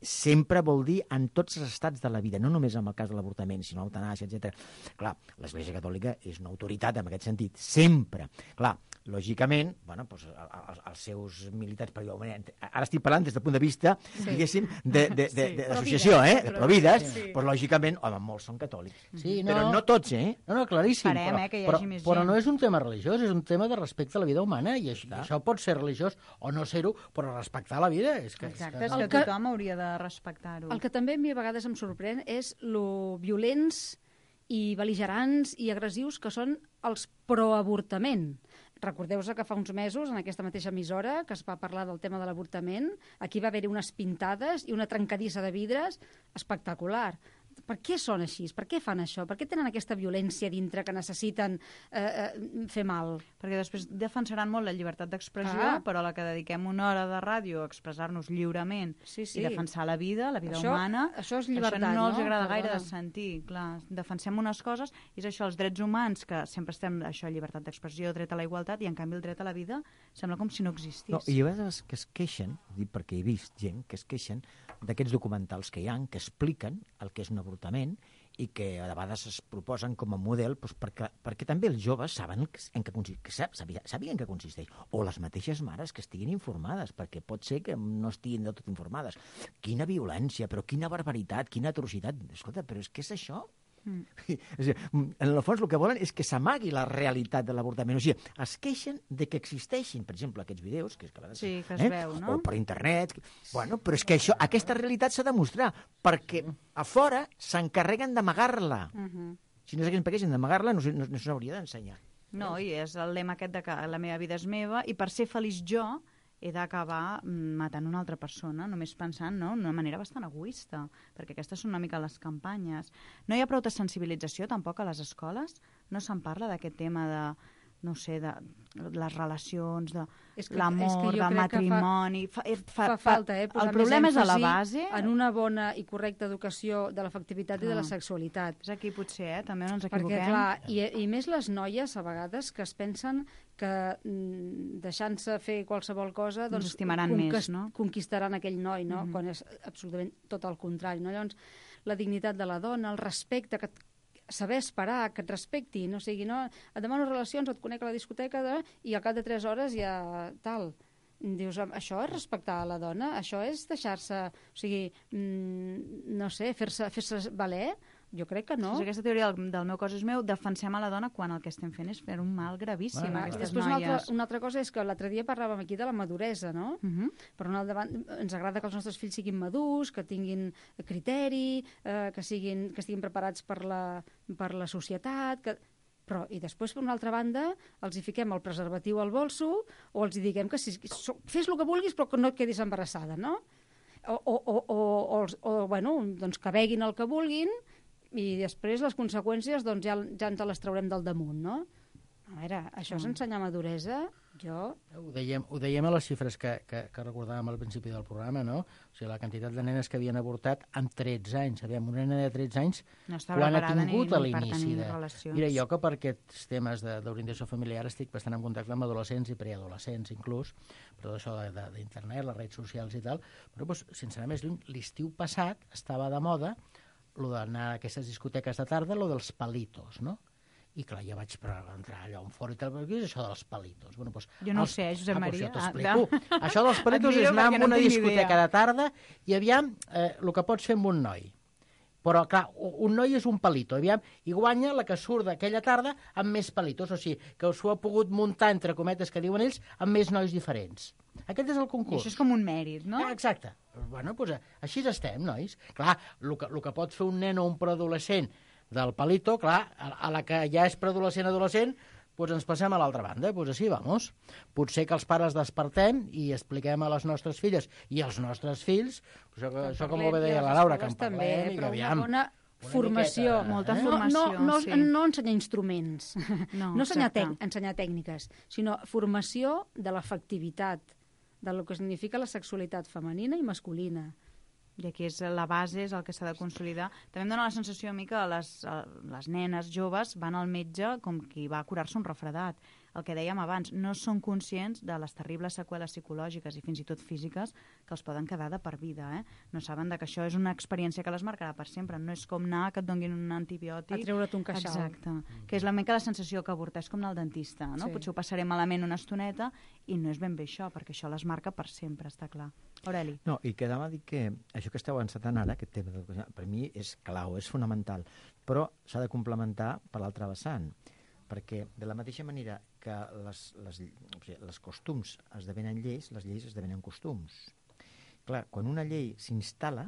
sempre vol dir en tots els estats de la vida, no només en el cas de l'avortament, sinó l'eutanàsia, etc. Clar, l'Església Catòlica és una autoritat en aquest sentit, sempre. Clar, lògicament, els seus militants, ara estic parlant des del punt de vista, diguéssim, d'associació, de provides, però lògicament, molts són catòlics. Però no tots, No, claríssim. Esperem, que hi hagi més gent. Però no és un tema religiós, és un tema de respecte a la vida humana, i això pot ser religiós o no ser-ho, però respectar la vida és que... Exacte, és que tothom hauria de respectar-ho. El que també a mi a vegades em sorprèn és lo violents i bel·ligerants i agressius que són els proavortament. Recordeu-vos que fa uns mesos, en aquesta mateixa emissora, que es va parlar del tema de l'avortament, aquí va haver-hi unes pintades i una trencadissa de vidres espectacular. Per què són així? Per què fan això? Per què tenen aquesta violència dintre que necessiten fer mal? Perquè després defensaran molt la llibertat d'expressió, però a la que dediquem una hora de ràdio a expressar-nos lliurement i defensar la vida humana, això és llibertat, no els agrada gaire de sentir. Clar, defensem unes coses, i és això, els drets humans, que sempre estem, això, llibertat d'expressió, dret a la igualtat, i en canvi el dret a la vida sembla com si no existís. No, i a vegades que es queixen, perquè he vist gent que es queixen d'aquests documentals que hi ha, que expliquen el que és un avortament i que a vegades es proposen com a model perquè també els joves saben sabien que consisteix. O les mateixes mares que estiguin informades, perquè pot ser que no estiguin del tot informades. Quina violència, però quina barbaritat, quina atrocitat. Escolta, però és que és això? En el fons el que volen és que s'amagui la realitat de l'avortament, o sigui, es queixen de que existeixin, per exemple, aquests vídeos que es veu, no? O per internet, però és que aquesta realitat s'ha de mostrar, perquè a fora s'encarreguen d'amagar-la. Si no s'haguessin paguessin d'amagar-la, no s'hauria d'ensenyar. No, i és el lema aquest de que la meva vida és meva i per ser feliç jo he d'acabar matant una altra persona, només pensant, no?, d'una manera bastant egoista, perquè aquestes són una mica les campanyes. No hi ha prou de sensibilització tampoc a les escoles? No se'n parla d'aquest tema de, no sé, de les relacions, de l'amor, del matrimoni... Fa falta, el problema és a la base... En una bona i correcta educació de l'afectivitat i de la sexualitat. És aquí potser, també no ens equivoquem. Perquè, clar, i més les noies, a vegades, que es pensen que deixant-se fer qualsevol cosa doncs estimaran més, no? Conquistaran aquell noi, no? Quan és absolutament tot el contrari, no? Llavors, la dignitat de la dona, el respecte, saber esperar, que et respectin, o sigui, no? Et demano relacions, et conec a la discoteca i al cap de 3 hores ja tal. Dius, això és respectar a la dona? Això és deixar-se, o sigui, no sé, fer-se valer? Jo crec que no. Si aquesta teoria del meu cos és meu, defensem a la dona quan el que estem fent és fer un mal gravíssim a aquestes noies. Una altra cosa és que l'altre dia parlàvem aquí de la maduresa, no? Per una altra banda, ens agrada que els nostres fills siguin madurs, que tinguin criteri, que estiguin preparats per la societat, però, i després, per una altra banda, els hi fiquem el preservatiu al bolso o els hi diguem que fes el que vulguis però que no et quedis embarassada, no? Bueno, doncs que beguin el que vulguin i després les conseqüències doncs ja ens les traurem del damunt, no? A veure, això és ensenyar maduresa? Ho dèiem a les xifres que recordàvem al principi del programa, no? O sigui, la quantitat de nenes que havien avortat amb 13 anys. Aviam, una nena de 13 anys, quan ha tingut a l'inici de... Mira, jo que per aquests temes d'orientació familiar estic bastant en contacte amb adolescents i preadolescents, inclús, per tot això d'internet, les redes socials i tal, però, sense anar més lluny, l'estiu passat estava de moda lo d'anar a aquestes discoteques de tarda, lo dels palitos, no? I clar, jo vaig entrar allò en fora i tal, què és això dels palitos? Bueno, doncs, jo no ho sé, Josep Maria. Pues t'explico. Això dels palitos és anar a una discoteca de tarda i aviam el que pots fer amb un noi. Però, clar, un noi és un palito, aviam, i guanya la que surt d'aquella tarda amb més palitos, o sigui, que s'ho ha pogut muntar, entre cometes, que diuen ells, amb més nois diferents. Aquest és el concurs. I això és com un mèrit, no? Exacte. Bueno, doncs així estem, nois. Clar, el que pot fer un nen o un preadolescent del palito, clar, a la que ja és preadolescent, doncs ens passem a l'altra banda, doncs així, vamos. Potser que els pares despertem i expliquem a les nostres filles i als nostres fills, això com ho deia la Laura, que en parlem i que aviam... Formació, molta formació. No ensenyar instruments, no ensenyar tècniques, sinó formació de l'afectivitat, del que significa la sexualitat femenina i masculina. I aquí és la base, és el que s'ha de consolidar. També em dóna la sensació a mi que les nenes joves van al metge com qui va a curar-se un refredat. El que dèiem abans, no són conscients de les terribles seqüeles psicològiques i fins i tot físiques que els poden quedar de per vida. No saben que això és una experiència que les marcarà per sempre. No és com anar que et donguin un antibiòtic. A treure't un queixal. Exacte. Que és la mica la sensació que avortar és com anar al dentista. No? Sí. Potser ho passaré malament una estoneta i no és ben bé això, perquè això les marca per sempre, està clar. Aureli. No, i quedava a dir que això que esteu encetant ara, aquest tema, per mi és clau, és fonamental, però s'ha de complementar per l'altre vessant, perquè de la mateixa manera que les costums esdevenen lleis, les lleis esdevenen costums. Clar, quan una llei s'instal·la,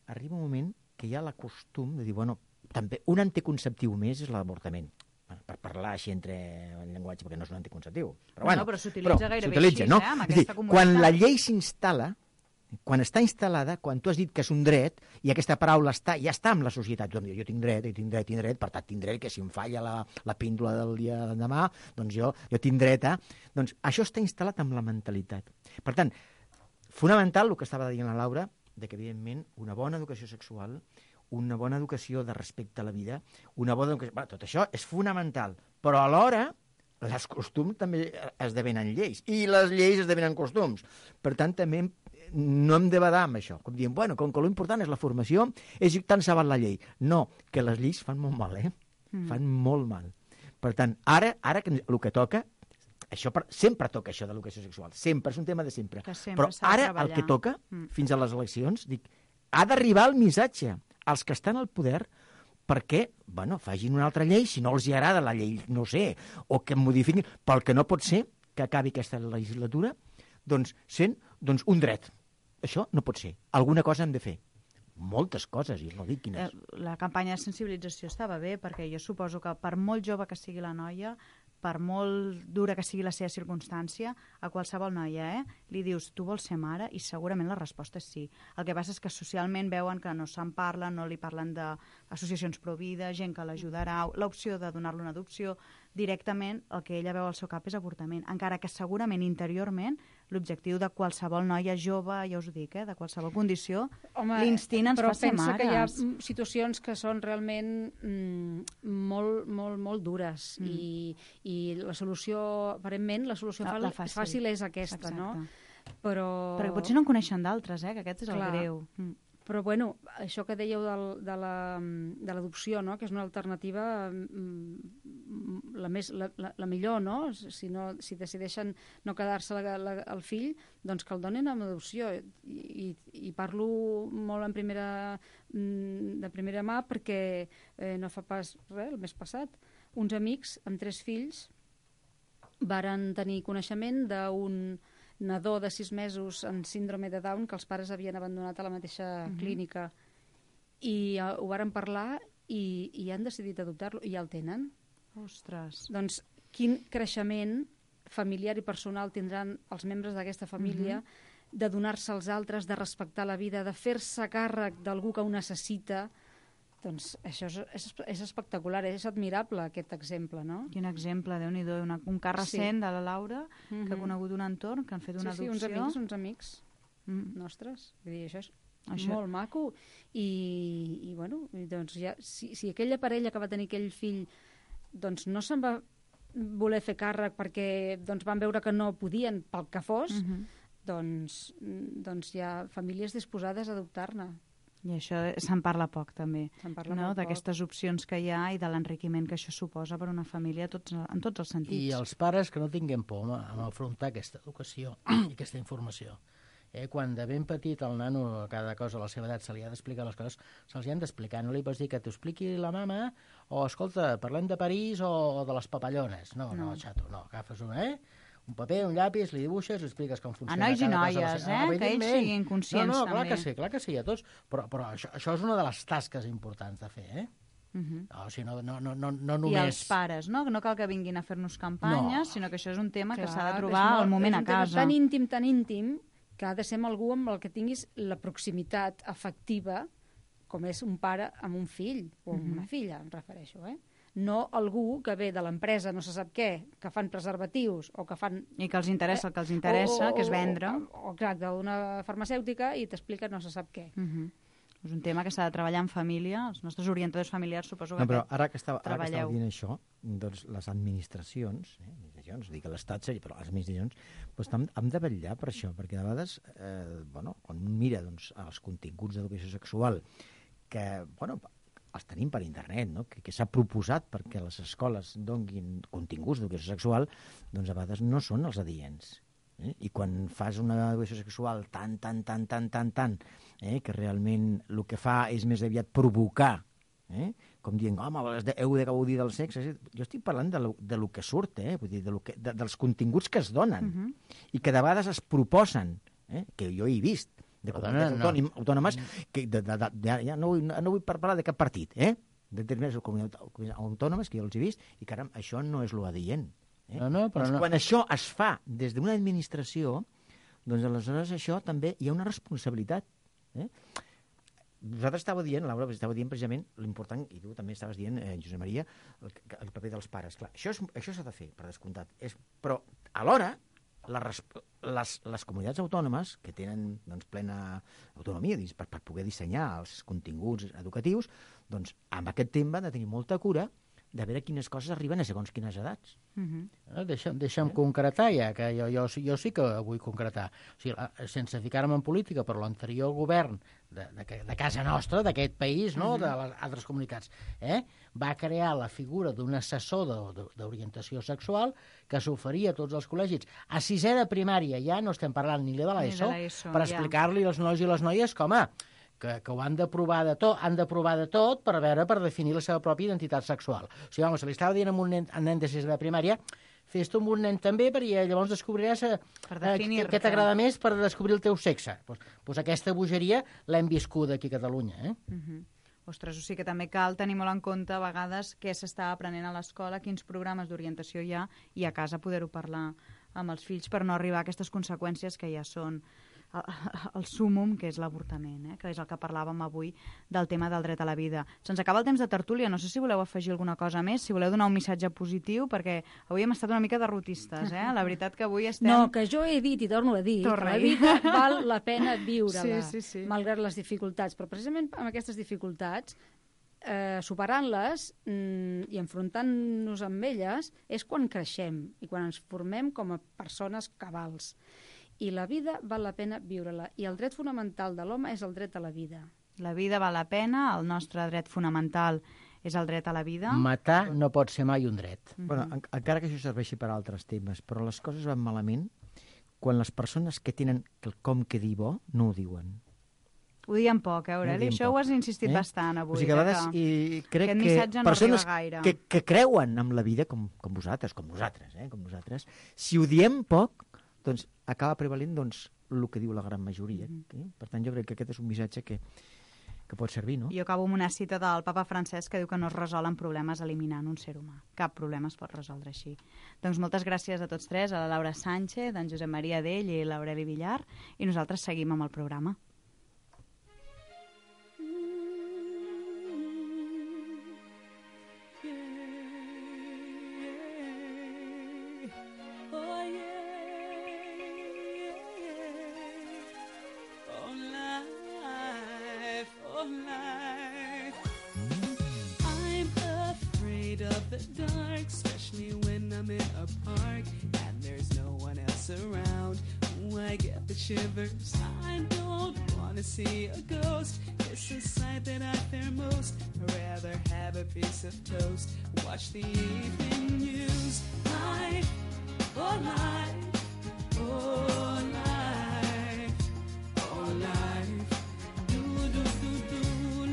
arriba un moment que hi ha la costum de dir, bueno, també un anticonceptiu més és l'avortament. Per parlar així entre el llenguatge, perquè no és un anticonceptiu. Però s'utilitza gairebé així, no? amb aquesta comunitat. Quan la llei s'instal·la, quan està instal·lada, quan tu has dit que és un dret, i aquesta paraula ja està amb la societat, jo tinc dret, per tant tinc dret que si em falla la píndola del dia de demà, doncs jo tinc dret a... Doncs això està instal·lat amb la mentalitat. Per tant, fonamental el que estava dient la Laura, que evidentment una bona educació sexual, una bona educació de respecte a la vida, una bona educació... tot això és fonamental, però alhora els costums també esdevenen lleis, i les lleis esdevenen costums. Per tant, també no hem de badar amb això, com dient, bueno, com que l'important és la formació, és tant se val la llei. No, que les lleis fan molt mal, Fan molt mal. Per tant, ara que el que toca, sempre toca això de l'educació sexual, sempre, és un tema de sempre. Però ara el que toca, fins a les eleccions, ha d'arribar el missatge als que estan al poder perquè, facin una altra llei, si no els agrada la llei, no sé, o que modifiquin, pel que no pot ser que acabi aquesta legislatura, sent un dret. Això no pot ser. Alguna cosa hem de fer. moltes coses, i no dic quines. La campanya de sensibilització estava bé, perquè jo suposo que per molt jove que sigui la noia, per molt dura que sigui la seva circumstància, a qualsevol noia, li dius, tu vols ser mare? I segurament la resposta és sí. El que passa és que socialment veuen que no se'n parla, no li parlen d'associacions pro-vida, gent que l'ajudarà, l'opció de donar-lo una adopció, directament el que ella veu al seu cap és avortament, encara que segurament interiorment l'objectiu de qualsevol noia jove, ja us ho dic, de qualsevol condició, l'instint ens fa ser mares. Però pensa que hi ha situacions que són realment molt dures i la solució, aparentment, la solució fàcil és aquesta, no? Perquè potser no en coneixen d'altres, que aquest és el greu. Però, bueno, això que dèieu de l'adopció, no?, que és una alternativa la millor, no? Si decideixen no quedar-se el fill, doncs que el donin amb adopció. I parlo molt de primera mà perquè no fa pas res, el mes passat, uns amics amb 3 fills varen tenir coneixement d'un nadó de 6 mesos amb síndrome de Down que els pares havien abandonat a la mateixa clínica. I ho varen parlar i han decidit adoptar-lo i ja el tenen. Ostres. Doncs quin creixement familiar i personal tindran els membres d'aquesta família de donar-se als altres, de respectar la vida, de fer-se càrrec d'algú que ho necessita. Doncs això és espectacular, és admirable aquest exemple, no? Quin exemple, Déu-n'hi-do, un cas recent de la Laura, que ha conegut un entorn, que han fet una adopció. Sí, uns amics nostres. Vull dir, això és molt maco. I bueno, doncs ja, si aquella parella que va tenir aquell fill doncs no se'n va voler fer càrrec perquè van veure que no podien pel que fos, doncs hi ha famílies disposades a adoptar-ne. I això se'n parla poc, també, d'aquestes opcions que hi ha i de l'enriquiment que això suposa per una família en tots els sentits. I els pares que no tinguem por en afrontar aquesta educació i aquesta informació. Quan de ben petit el nano, cada cosa a la seva edat, se li ha d'explicar les coses, se'ls hi han d'explicar. No li pots dir que t'ho expliqui la mama o, escolta, parlem de París o de les papallones. No, xato, no. Agafes un paper, un llapis, li dibuixes, li expliques com funciona. A nois i noies, que ells siguin conscients també. No, clar que sí, a tots. Però això és una de les tasques importants de fer, O sigui, no només... I els pares, no? No cal que vinguin a fer-nos campanyes, sinó que això és un tema que s'ha de trobar al moment a casa. És un tema tan íntim, que ha de ser amb algú amb el que tinguis la proximitat afectiva, com és un pare amb un fill, o amb una filla, em refereixo, No algú que ve de l'empresa, no se sap què, que fan preservatius o que fan... I que els interessa el que els interessa, que és vendre. O exacte, d'una farmacèutica i t'explica no se sap què. És un tema que s'ha de treballar en família. Els nostres orientadors familiars suposo que però ara que estava dient això, doncs les administracions, dic a l'Estat, però les administracions hem de vetllar per això, perquè de vegades, quan un mira els continguts d'educació sexual, que, els tenim per internet, que s'ha proposat perquè les escoles donin continguts d'educació sexual, doncs a vegades no són els adients. I quan fas una educació sexual tan, que realment el que fa és més aviat provocar, com dient, home, heu de gaudir del sexe. Jo estic parlant de lo que surt, vull dir, dels continguts que es donen i que de vegades es proposen, que jo he vist, de comunitats autònomes, que ja no vull parlar de cap partit, de determinades comunitats autònomes que jo els he vist, i caram, això no és lo adient. Quan això es fa des d'una administració, doncs aleshores això també hi ha una responsabilitat. Vosaltres estàveu dient, Laura, precisament l'important, i tu també estaves dient, Josep Maria, el paper dels pares. Clar, això s'ha de fer, per descomptat. Però alhora les comunitats autònomes, que tenen plena autonomia per poder dissenyar els continguts educatius, doncs amb aquest tema han de tenir molta cura de veure quines coses arriben a segons quines edats. Deixa'm concretar ja, que jo sí que vull concretar. O sigui, sense ficar-me en política, però l'anterior govern de casa nostra, d'aquest país, no?, de les altres comunitats, va crear la figura d'un assessor d'orientació sexual que s'oferia a tots els col·legis. A 6è de primària, ja no estem parlant ni de l'ESO, per explicar-li als nois i les noies com que ho han de provar de tot, per definir la seva pròpia identitat sexual. O sigui, si li estava dient a un nen de 6è de primària, fes-te amb un nen també, perquè llavors descobriràs què t'agrada més per descobrir el teu sexe. Doncs aquesta bogeria l'hem viscut aquí a Catalunya. Ostres, o sigui que també cal tenir molt en compte a vegades què s'està aprenent a l'escola, quins programes d'orientació hi ha, i a casa poder-ho parlar amb els fills per no arribar a aquestes conseqüències que ja són el súmum, que és l'avortament, que és el que parlàvem avui del tema del dret a la vida. Se'ns acaba el temps de tertúlia, no sé si voleu afegir alguna cosa més, si voleu donar un missatge positiu, perquè avui hem estat una mica derrotistes, la veritat que avui estem... No, que jo he dit i torno a dir que la vida val la pena viure-la, malgrat les dificultats, però precisament amb aquestes dificultats, superant-les i enfrontant-nos amb elles és quan creixem i quan ens formem com a persones cabals. I la vida val la pena viure-la. I el dret fonamental de l'home és el dret a la vida. La vida val la pena, el nostre dret fonamental és el dret a la vida. Matar no pot ser mai un dret. Bueno, encara que això serveixi per a altres temes, però les coses van malament quan les persones que tenen quelcom que dir bo no ho diuen. Ho diem poc, Aureli? Això ho has insistit bastant avui. O sigui, a vegades crec que persones que creuen en la vida, com vosaltres, si ho diem poc, doncs acaba prevalent el que diu la gran majoria. Per tant, jo crec que aquest és un missatge que pot servir, no? Jo acabo amb una cita del papa Francesc que diu que no es resolen problemes eliminant un ser humà. Cap problema es pot resoldre així. Doncs moltes gràcies a tots tres, a la Laura Sánchez, en Josep Maria Dell i l'Aureli Villar, i nosaltres seguim amb el programa. Shivers. I don't want to see a ghost. It's a sight that I fear most. I'd rather have a piece of toast. Watch the evening news. Life, oh life, oh life, oh life. Do do do do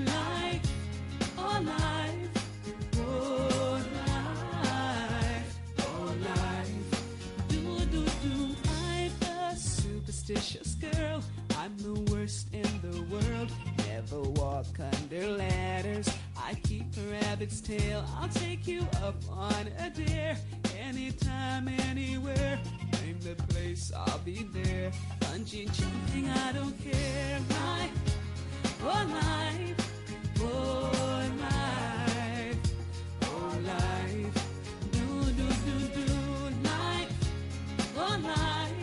life, oh life, oh life, oh life. Do do do. I'm a superstitious girl, I'm the worst in the world. Never walk under ladders, I keep a rabbit's tail. I'll take you up on a dare, anytime, anywhere. Name the place, I'll be there. Bungee jumping, I don't care. Life, oh life, oh life, oh life. Do do do do life, oh life.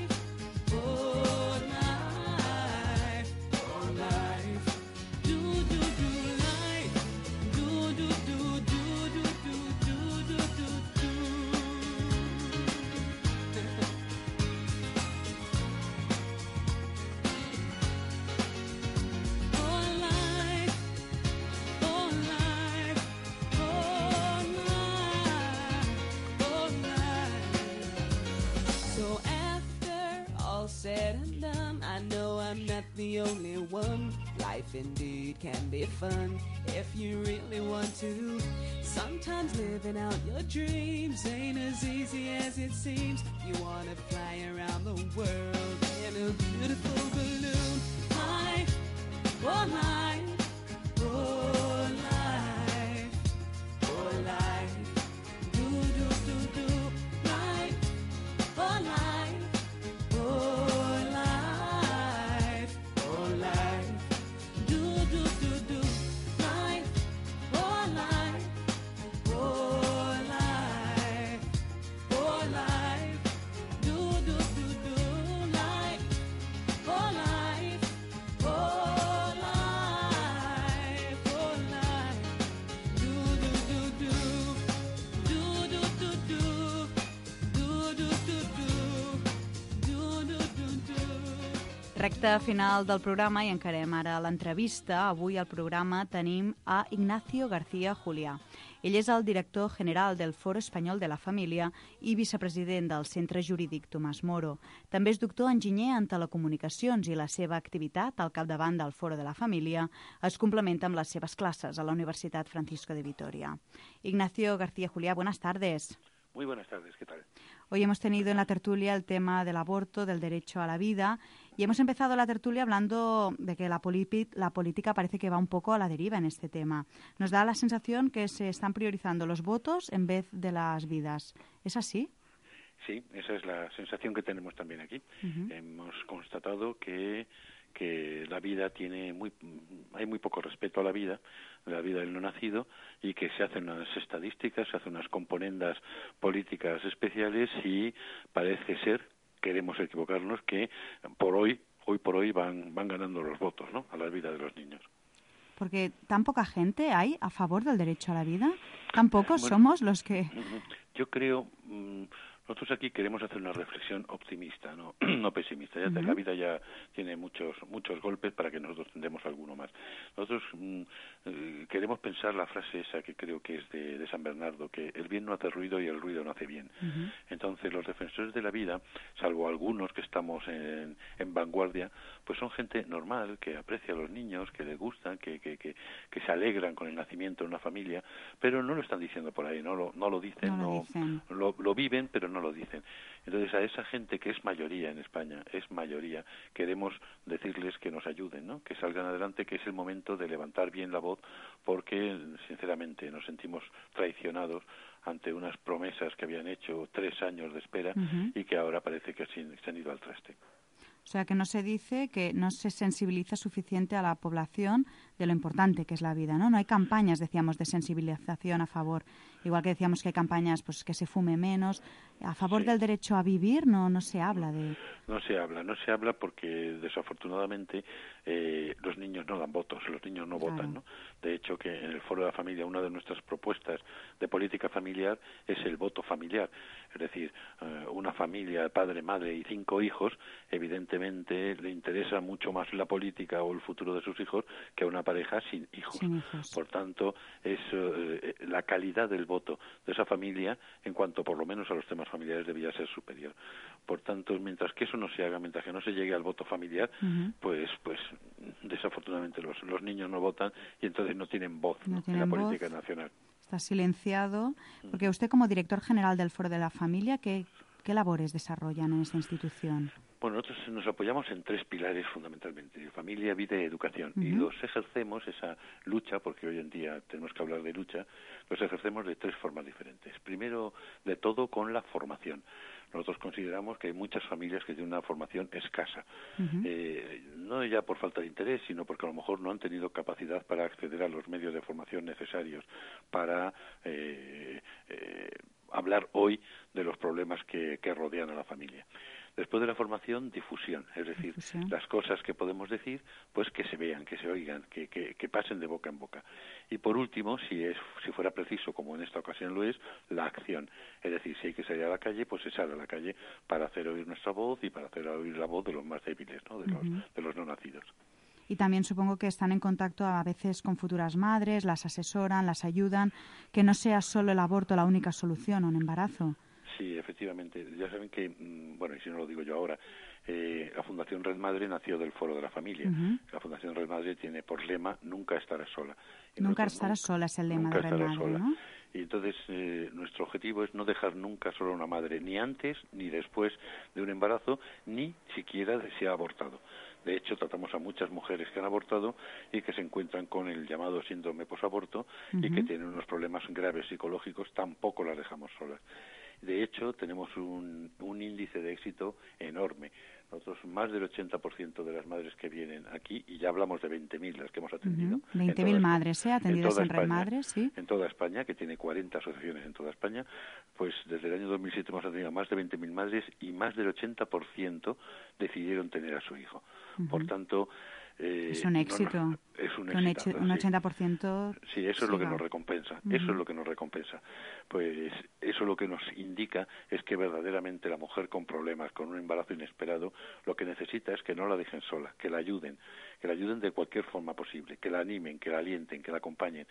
Said and done, I know I'm not the only one. Life indeed can be fun if you really want to. Sometimes living out your dreams ain't as easy as it seems. You wanna fly around the world in a beautiful balloon. Life, oh life, oh life, oh life. Do do do do life, oh life. Recte final del programa i encarem ara l'entrevista. Avui al programa tenim a Ignacio García Juliá. Ell és el director general del Foro Espanyol de la Família i vicepresident del Centre Jurídic Tomàs Moro. També és doctor enginyer en telecomunicacions i la seva activitat al capdavant del Foro de la Família es complementa amb les seves classes a la Universitat Francisco de Vitoria. Ignacio García Juliá, buenas tardes. Muy buenas tardes, ¿qué tal? Hoy hemos tenido en la tertulia el tema del aborto, del derecho a la vida, y hemos empezado la tertulia hablando de que la política parece que va un poco a la deriva en este tema. Nos da la sensación que se están priorizando los votos en vez de las vidas. ¿Es así? Sí, esa es la sensación que tenemos también aquí. Hemos constatado que la vida hay muy poco respeto a la vida del no nacido, y que se hacen unas estadísticas, se hacen unas componendas políticas especiales, y parece ser, queremos equivocarnos, que hoy por hoy van ganando los votos, ¿no?, a la vida de los niños. Porque tan poca gente hay a favor del derecho a la vida, tan pocos somos los que... Yo creo... Nosotros aquí queremos hacer una reflexión optimista, no pesimista. La vida ya tiene muchos golpes para que nosotros tendremos alguno más. Nosotros queremos pensar la frase esa que creo que es de San Bernardo, que el bien no hace ruido y el ruido no hace bien. Entonces, los defensores de la vida, salvo algunos que estamos en vanguardia, pues son gente normal, que aprecia a los niños, que les gustan, que se alegran con el nacimiento de una familia, pero no lo están diciendo por ahí, no lo dicen, lo viven, pero no lo dicen. Entonces, a esa gente que es mayoría en España, queremos decirles que nos ayuden, ¿no?, que salgan adelante, que es el momento de levantar bien la voz, porque, sinceramente, nos sentimos traicionados ante unas promesas que habían hecho 3 años de espera y que ahora parece que se han ido al traste. O sea, que no se dice, que no se sensibiliza suficiente a la población de lo importante que es la vida, ¿no? No hay campañas, decíamos, de sensibilización a favor. Igual que decíamos que hay campañas, pues, que se fume menos. A favor del derecho a vivir no se habla de... No se habla porque, desafortunadamente, los niños no dan votos, los niños no votan, ¿no? De hecho, que en el Foro de la Familia, una de nuestras propuestas de política familiar es el voto familiar. Es decir, una familia, padre, madre y 5 hijos, evidentemente le interesa mucho más la política o el futuro de sus hijos que a una pareja sin hijos. Por tanto, es la calidad del voto de esa familia, en cuanto por lo menos a los temas familiares, debía ser superior. Por tanto, mientras que eso no se haga, mientras que no se llegue al voto familiar, pues desafortunadamente los niños no votan, y entonces no tienen voz en la política nacional. Está silenciado, porque usted, como director general del Foro de la Familia, ¿qué labores desarrollan en esta institución? Bueno, nosotros nos apoyamos en 3 pilares fundamentalmente: familia, vida y educación. Y los ejercemos, esa lucha, porque hoy en día tenemos que hablar de lucha, los ejercemos de 3 formas diferentes. Primero de todo, con la formación. Nosotros consideramos que hay muchas familias que tienen una formación escasa, no ya por falta de interés, sino porque a lo mejor no han tenido capacidad para acceder a los medios de formación necesarios para hablar hoy de los problemas que rodean a la familia. Después de la formación, difusión, es decir, las cosas que podemos decir, pues que se vean, que se oigan, que pasen de boca en boca. Y por último, si fuera preciso, como en esta ocasión lo es, la acción. Es decir, si hay que salir a la calle, pues se sale a la calle para hacer oír nuestra voz y para hacer oír la voz de los más débiles, ¿no?, de los no nacidos. Y también supongo que están en contacto a veces con futuras madres, las asesoran, las ayudan, que no sea solo el aborto la única solución a un embarazo. Sí, efectivamente. Ya saben que, bueno, y si no lo digo yo ahora, la Fundación Red Madre nació del Foro de la Familia. La Fundación Red Madre tiene por lema "Nunca estarás sola". Nunca estarás sola es el lema de Red Madre, ¿no? Y entonces nuestro objetivo es no dejar nunca sola a una madre, ni antes ni después de un embarazo, ni siquiera si ha abortado. De hecho, tratamos a muchas mujeres que han abortado y que se encuentran con el llamado síndrome posaborto y que tienen unos problemas graves psicológicos, tampoco las dejamos solas. De hecho, tenemos un índice de éxito enorme. Nosotros, más del 80% de las madres que vienen aquí, y ya hablamos de 20.000 las que hemos atendido. 20.000 madres, atendidas en Red Madre, sí. En toda España, que tiene 40 asociaciones en toda España, pues desde el año 2007 hemos atendido a más de 20.000 madres y más del 80% decidieron tener a su hijo. Por tanto... es un éxito. Es un éxito. Un 80%. Sí, eso es lo que nos recompensa. Eso es lo que nos recompensa. Pues eso lo que nos indica es que verdaderamente la mujer con problemas, con un embarazo inesperado, lo que necesita es que no la dejen sola, que la ayuden de cualquier forma posible, que la animen, que la alienten, que la acompañen.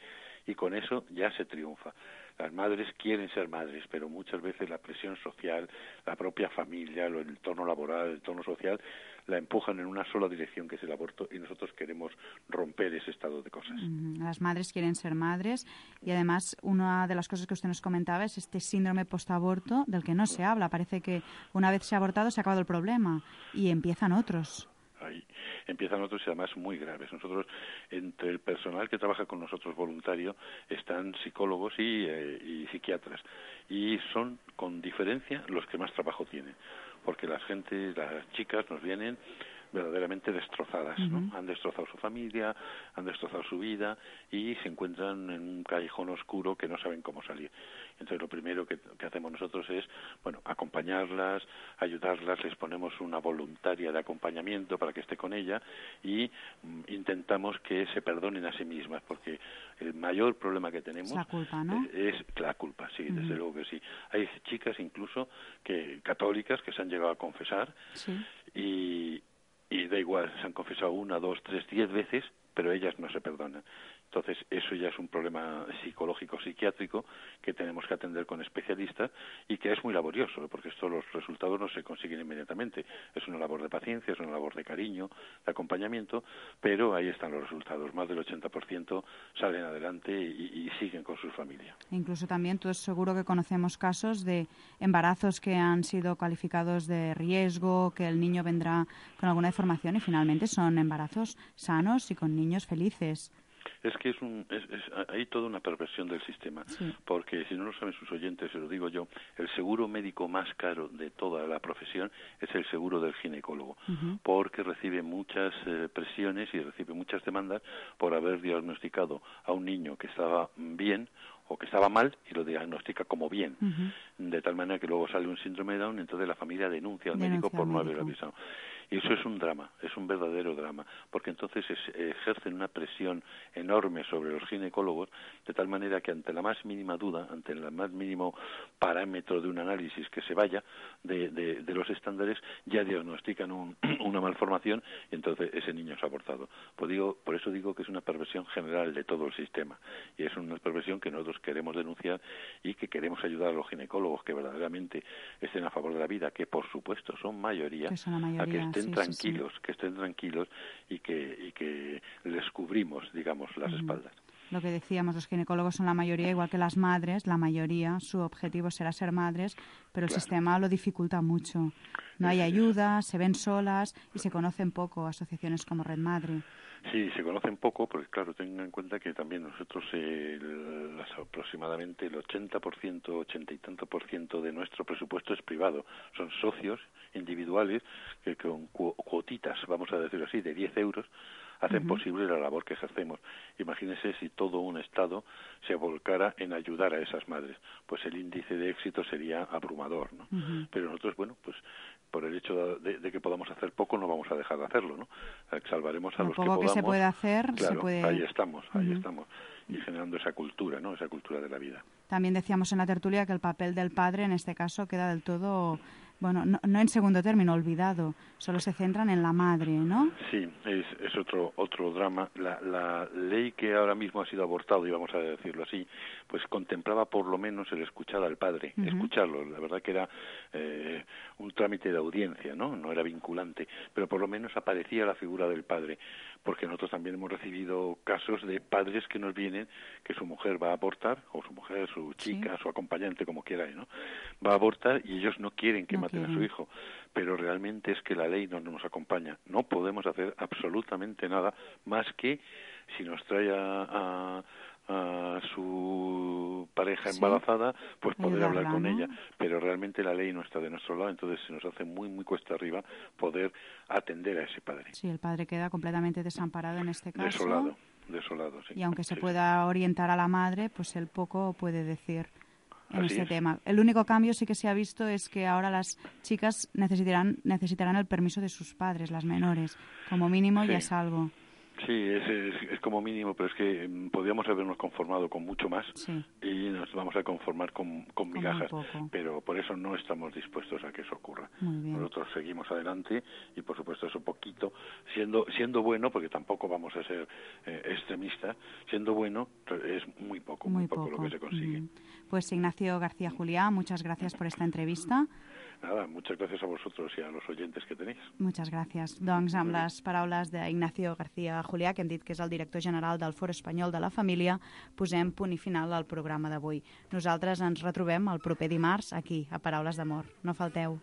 Y con eso ya se triunfa. Las madres quieren ser madres, pero muchas veces la presión social, la propia familia, el entorno laboral, el entorno social, la empujan en una sola dirección, que es el aborto, y nosotros queremos romper romper ese estado de cosas. Las madres quieren ser madres y además una de las cosas que usted nos comentaba es este síndrome postaborto del que no se habla. Parece que una vez se ha abortado se ha acabado el problema y empiezan otros. Ahí empiezan otros y además muy graves. Nosotros, entre el personal que trabaja con nosotros voluntario, están psicólogos y psiquiatras. Y son, con diferencia, los que más trabajo tienen. Porque las chicas nos vienen verdaderamente destrozadas, ¿no? Han destrozado su familia, han destrozado su vida y se encuentran en un callejón oscuro que no saben cómo salir. Entonces lo primero que hacemos nosotros es, acompañarlas, ayudarlas, les ponemos una voluntaria de acompañamiento para que esté con ella y intentamos que se perdonen a sí mismas, porque el mayor problema que tenemos es la culpa, ¿no? Es la culpa, sí, desde luego que sí. Hay chicas incluso católicas que se han llegado a confesar y da igual, se han confesado 1, 2, 3, 10 veces, pero ellas no se perdonan. Entonces, eso ya es un problema psicológico, psiquiátrico, que tenemos que atender con especialistas y que es muy laborioso, porque los resultados no se consiguen inmediatamente. Es una labor de paciencia, es una labor de cariño, de acompañamiento, pero ahí están los resultados. Más del 80% salen adelante y siguen con sus familias. Incluso también, todos seguro que conocemos casos de embarazos que han sido calificados de riesgo, que el niño vendrá con alguna deformación y finalmente son embarazos sanos y con niños felices. Es que hay toda una perversión del sistema, porque si no lo saben sus oyentes, se lo digo yo, el seguro médico más caro de toda la profesión es el seguro del ginecólogo, porque recibe muchas presiones y recibe muchas demandas por haber diagnosticado a un niño que estaba bien o que estaba mal y lo diagnostica como bien, de tal manera que luego sale un síndrome de Down, entonces la familia denuncia al médico por no haber avisado. Y eso es un drama, es un verdadero drama, porque entonces ejercen una presión enorme sobre los ginecólogos, de tal manera que ante la más mínima duda, ante el más mínimo parámetro de un análisis que se vaya de los estándares, ya diagnostican una malformación y entonces ese niño es abortado. Por eso digo que es una perversión general de todo el sistema, y es una perversión que nosotros queremos denunciar y que queremos ayudar a los ginecólogos que verdaderamente estén a favor de la vida, que por supuesto son mayoría, a que estén tranquilos, que estén tranquilos y que les cubrimos, digamos, las espaldas. Lo que decíamos, los ginecólogos son la mayoría, igual que las madres, la mayoría, su objetivo será ser madres, pero el sistema lo dificulta mucho. No hay ayuda, se ven solas y se conocen poco asociaciones como Red Madre. Sí, se conocen poco, porque claro, tengan en cuenta que también nosotros aproximadamente el 80%, 80 y tanto por ciento de nuestro presupuesto es privado. Son socios individuales que con cuotitas, vamos a decirlo así, de 10 euros, hacen posible la labor que ejercemos. Imagínense si todo un Estado se volcara en ayudar a esas madres, pues el índice de éxito sería abrumador, ¿no? Pero nosotros, pues por el hecho de que podamos hacer poco, no vamos a dejar de hacerlo, ¿no? Salvaremos a los que podamos. Lo poco que se puede hacer, claro, se puede... ahí estamos, y generando esa cultura, ¿no? Esa cultura de la vida. También decíamos en la tertulia que el papel del padre, en este caso, queda del todo... Bueno, no en segundo término, olvidado. Solo se centran en la madre, ¿no? Sí, es otro drama. La ley que ahora mismo ha sido abortado, y vamos a decirlo así, pues contemplaba por lo menos el escuchar al padre, escucharlo. La verdad que era un trámite de audiencia, ¿no? No era vinculante, pero por lo menos aparecía la figura del padre, porque nosotros también hemos recibido casos de padres que nos vienen que su mujer va a abortar, o su mujer, su chica, su acompañante, como quiera, ¿no? Va a abortar y ellos no quieren que maten a su hijo, pero realmente es que la ley no nos acompaña. No podemos hacer absolutamente nada más que si nos trae a su pareja embarazada, pues poder hablar con ella, pero realmente la ley no está de nuestro lado, entonces se nos hace muy muy cuesta arriba poder atender a ese padre. Sí, el padre queda completamente desamparado en este caso. Desolado, sí. Y aunque se pueda orientar a la madre, pues él poco puede decir en Así este es. tema. El único cambio sí que se ha visto es que ahora las chicas necesitarán el permiso de sus padres, las menores. Como mínimo ya es algo. Sí, es como mínimo, pero es que podríamos habernos conformado con mucho más y nos vamos a conformar con migajas, pero por eso no estamos dispuestos a que eso ocurra. Nosotros seguimos adelante y por supuesto eso poquito, siendo bueno, porque tampoco vamos a ser extremistas, siendo bueno es muy poco lo que se consigue. Pues Ignacio García Juliá, muchas gracias por esta entrevista. Nada, muchas gracias a vosotros y a los oyentes que tenéis. Muchas gràcies. Doncs amb les paraules d'Ignacio García Juliá, que hem dit que és el director general del Foro Espanyol de la Família, posem punt i final al programa d'avui. Nosaltres ens retrobem el proper dimarts aquí, a Paraules d'Amor. No falteu.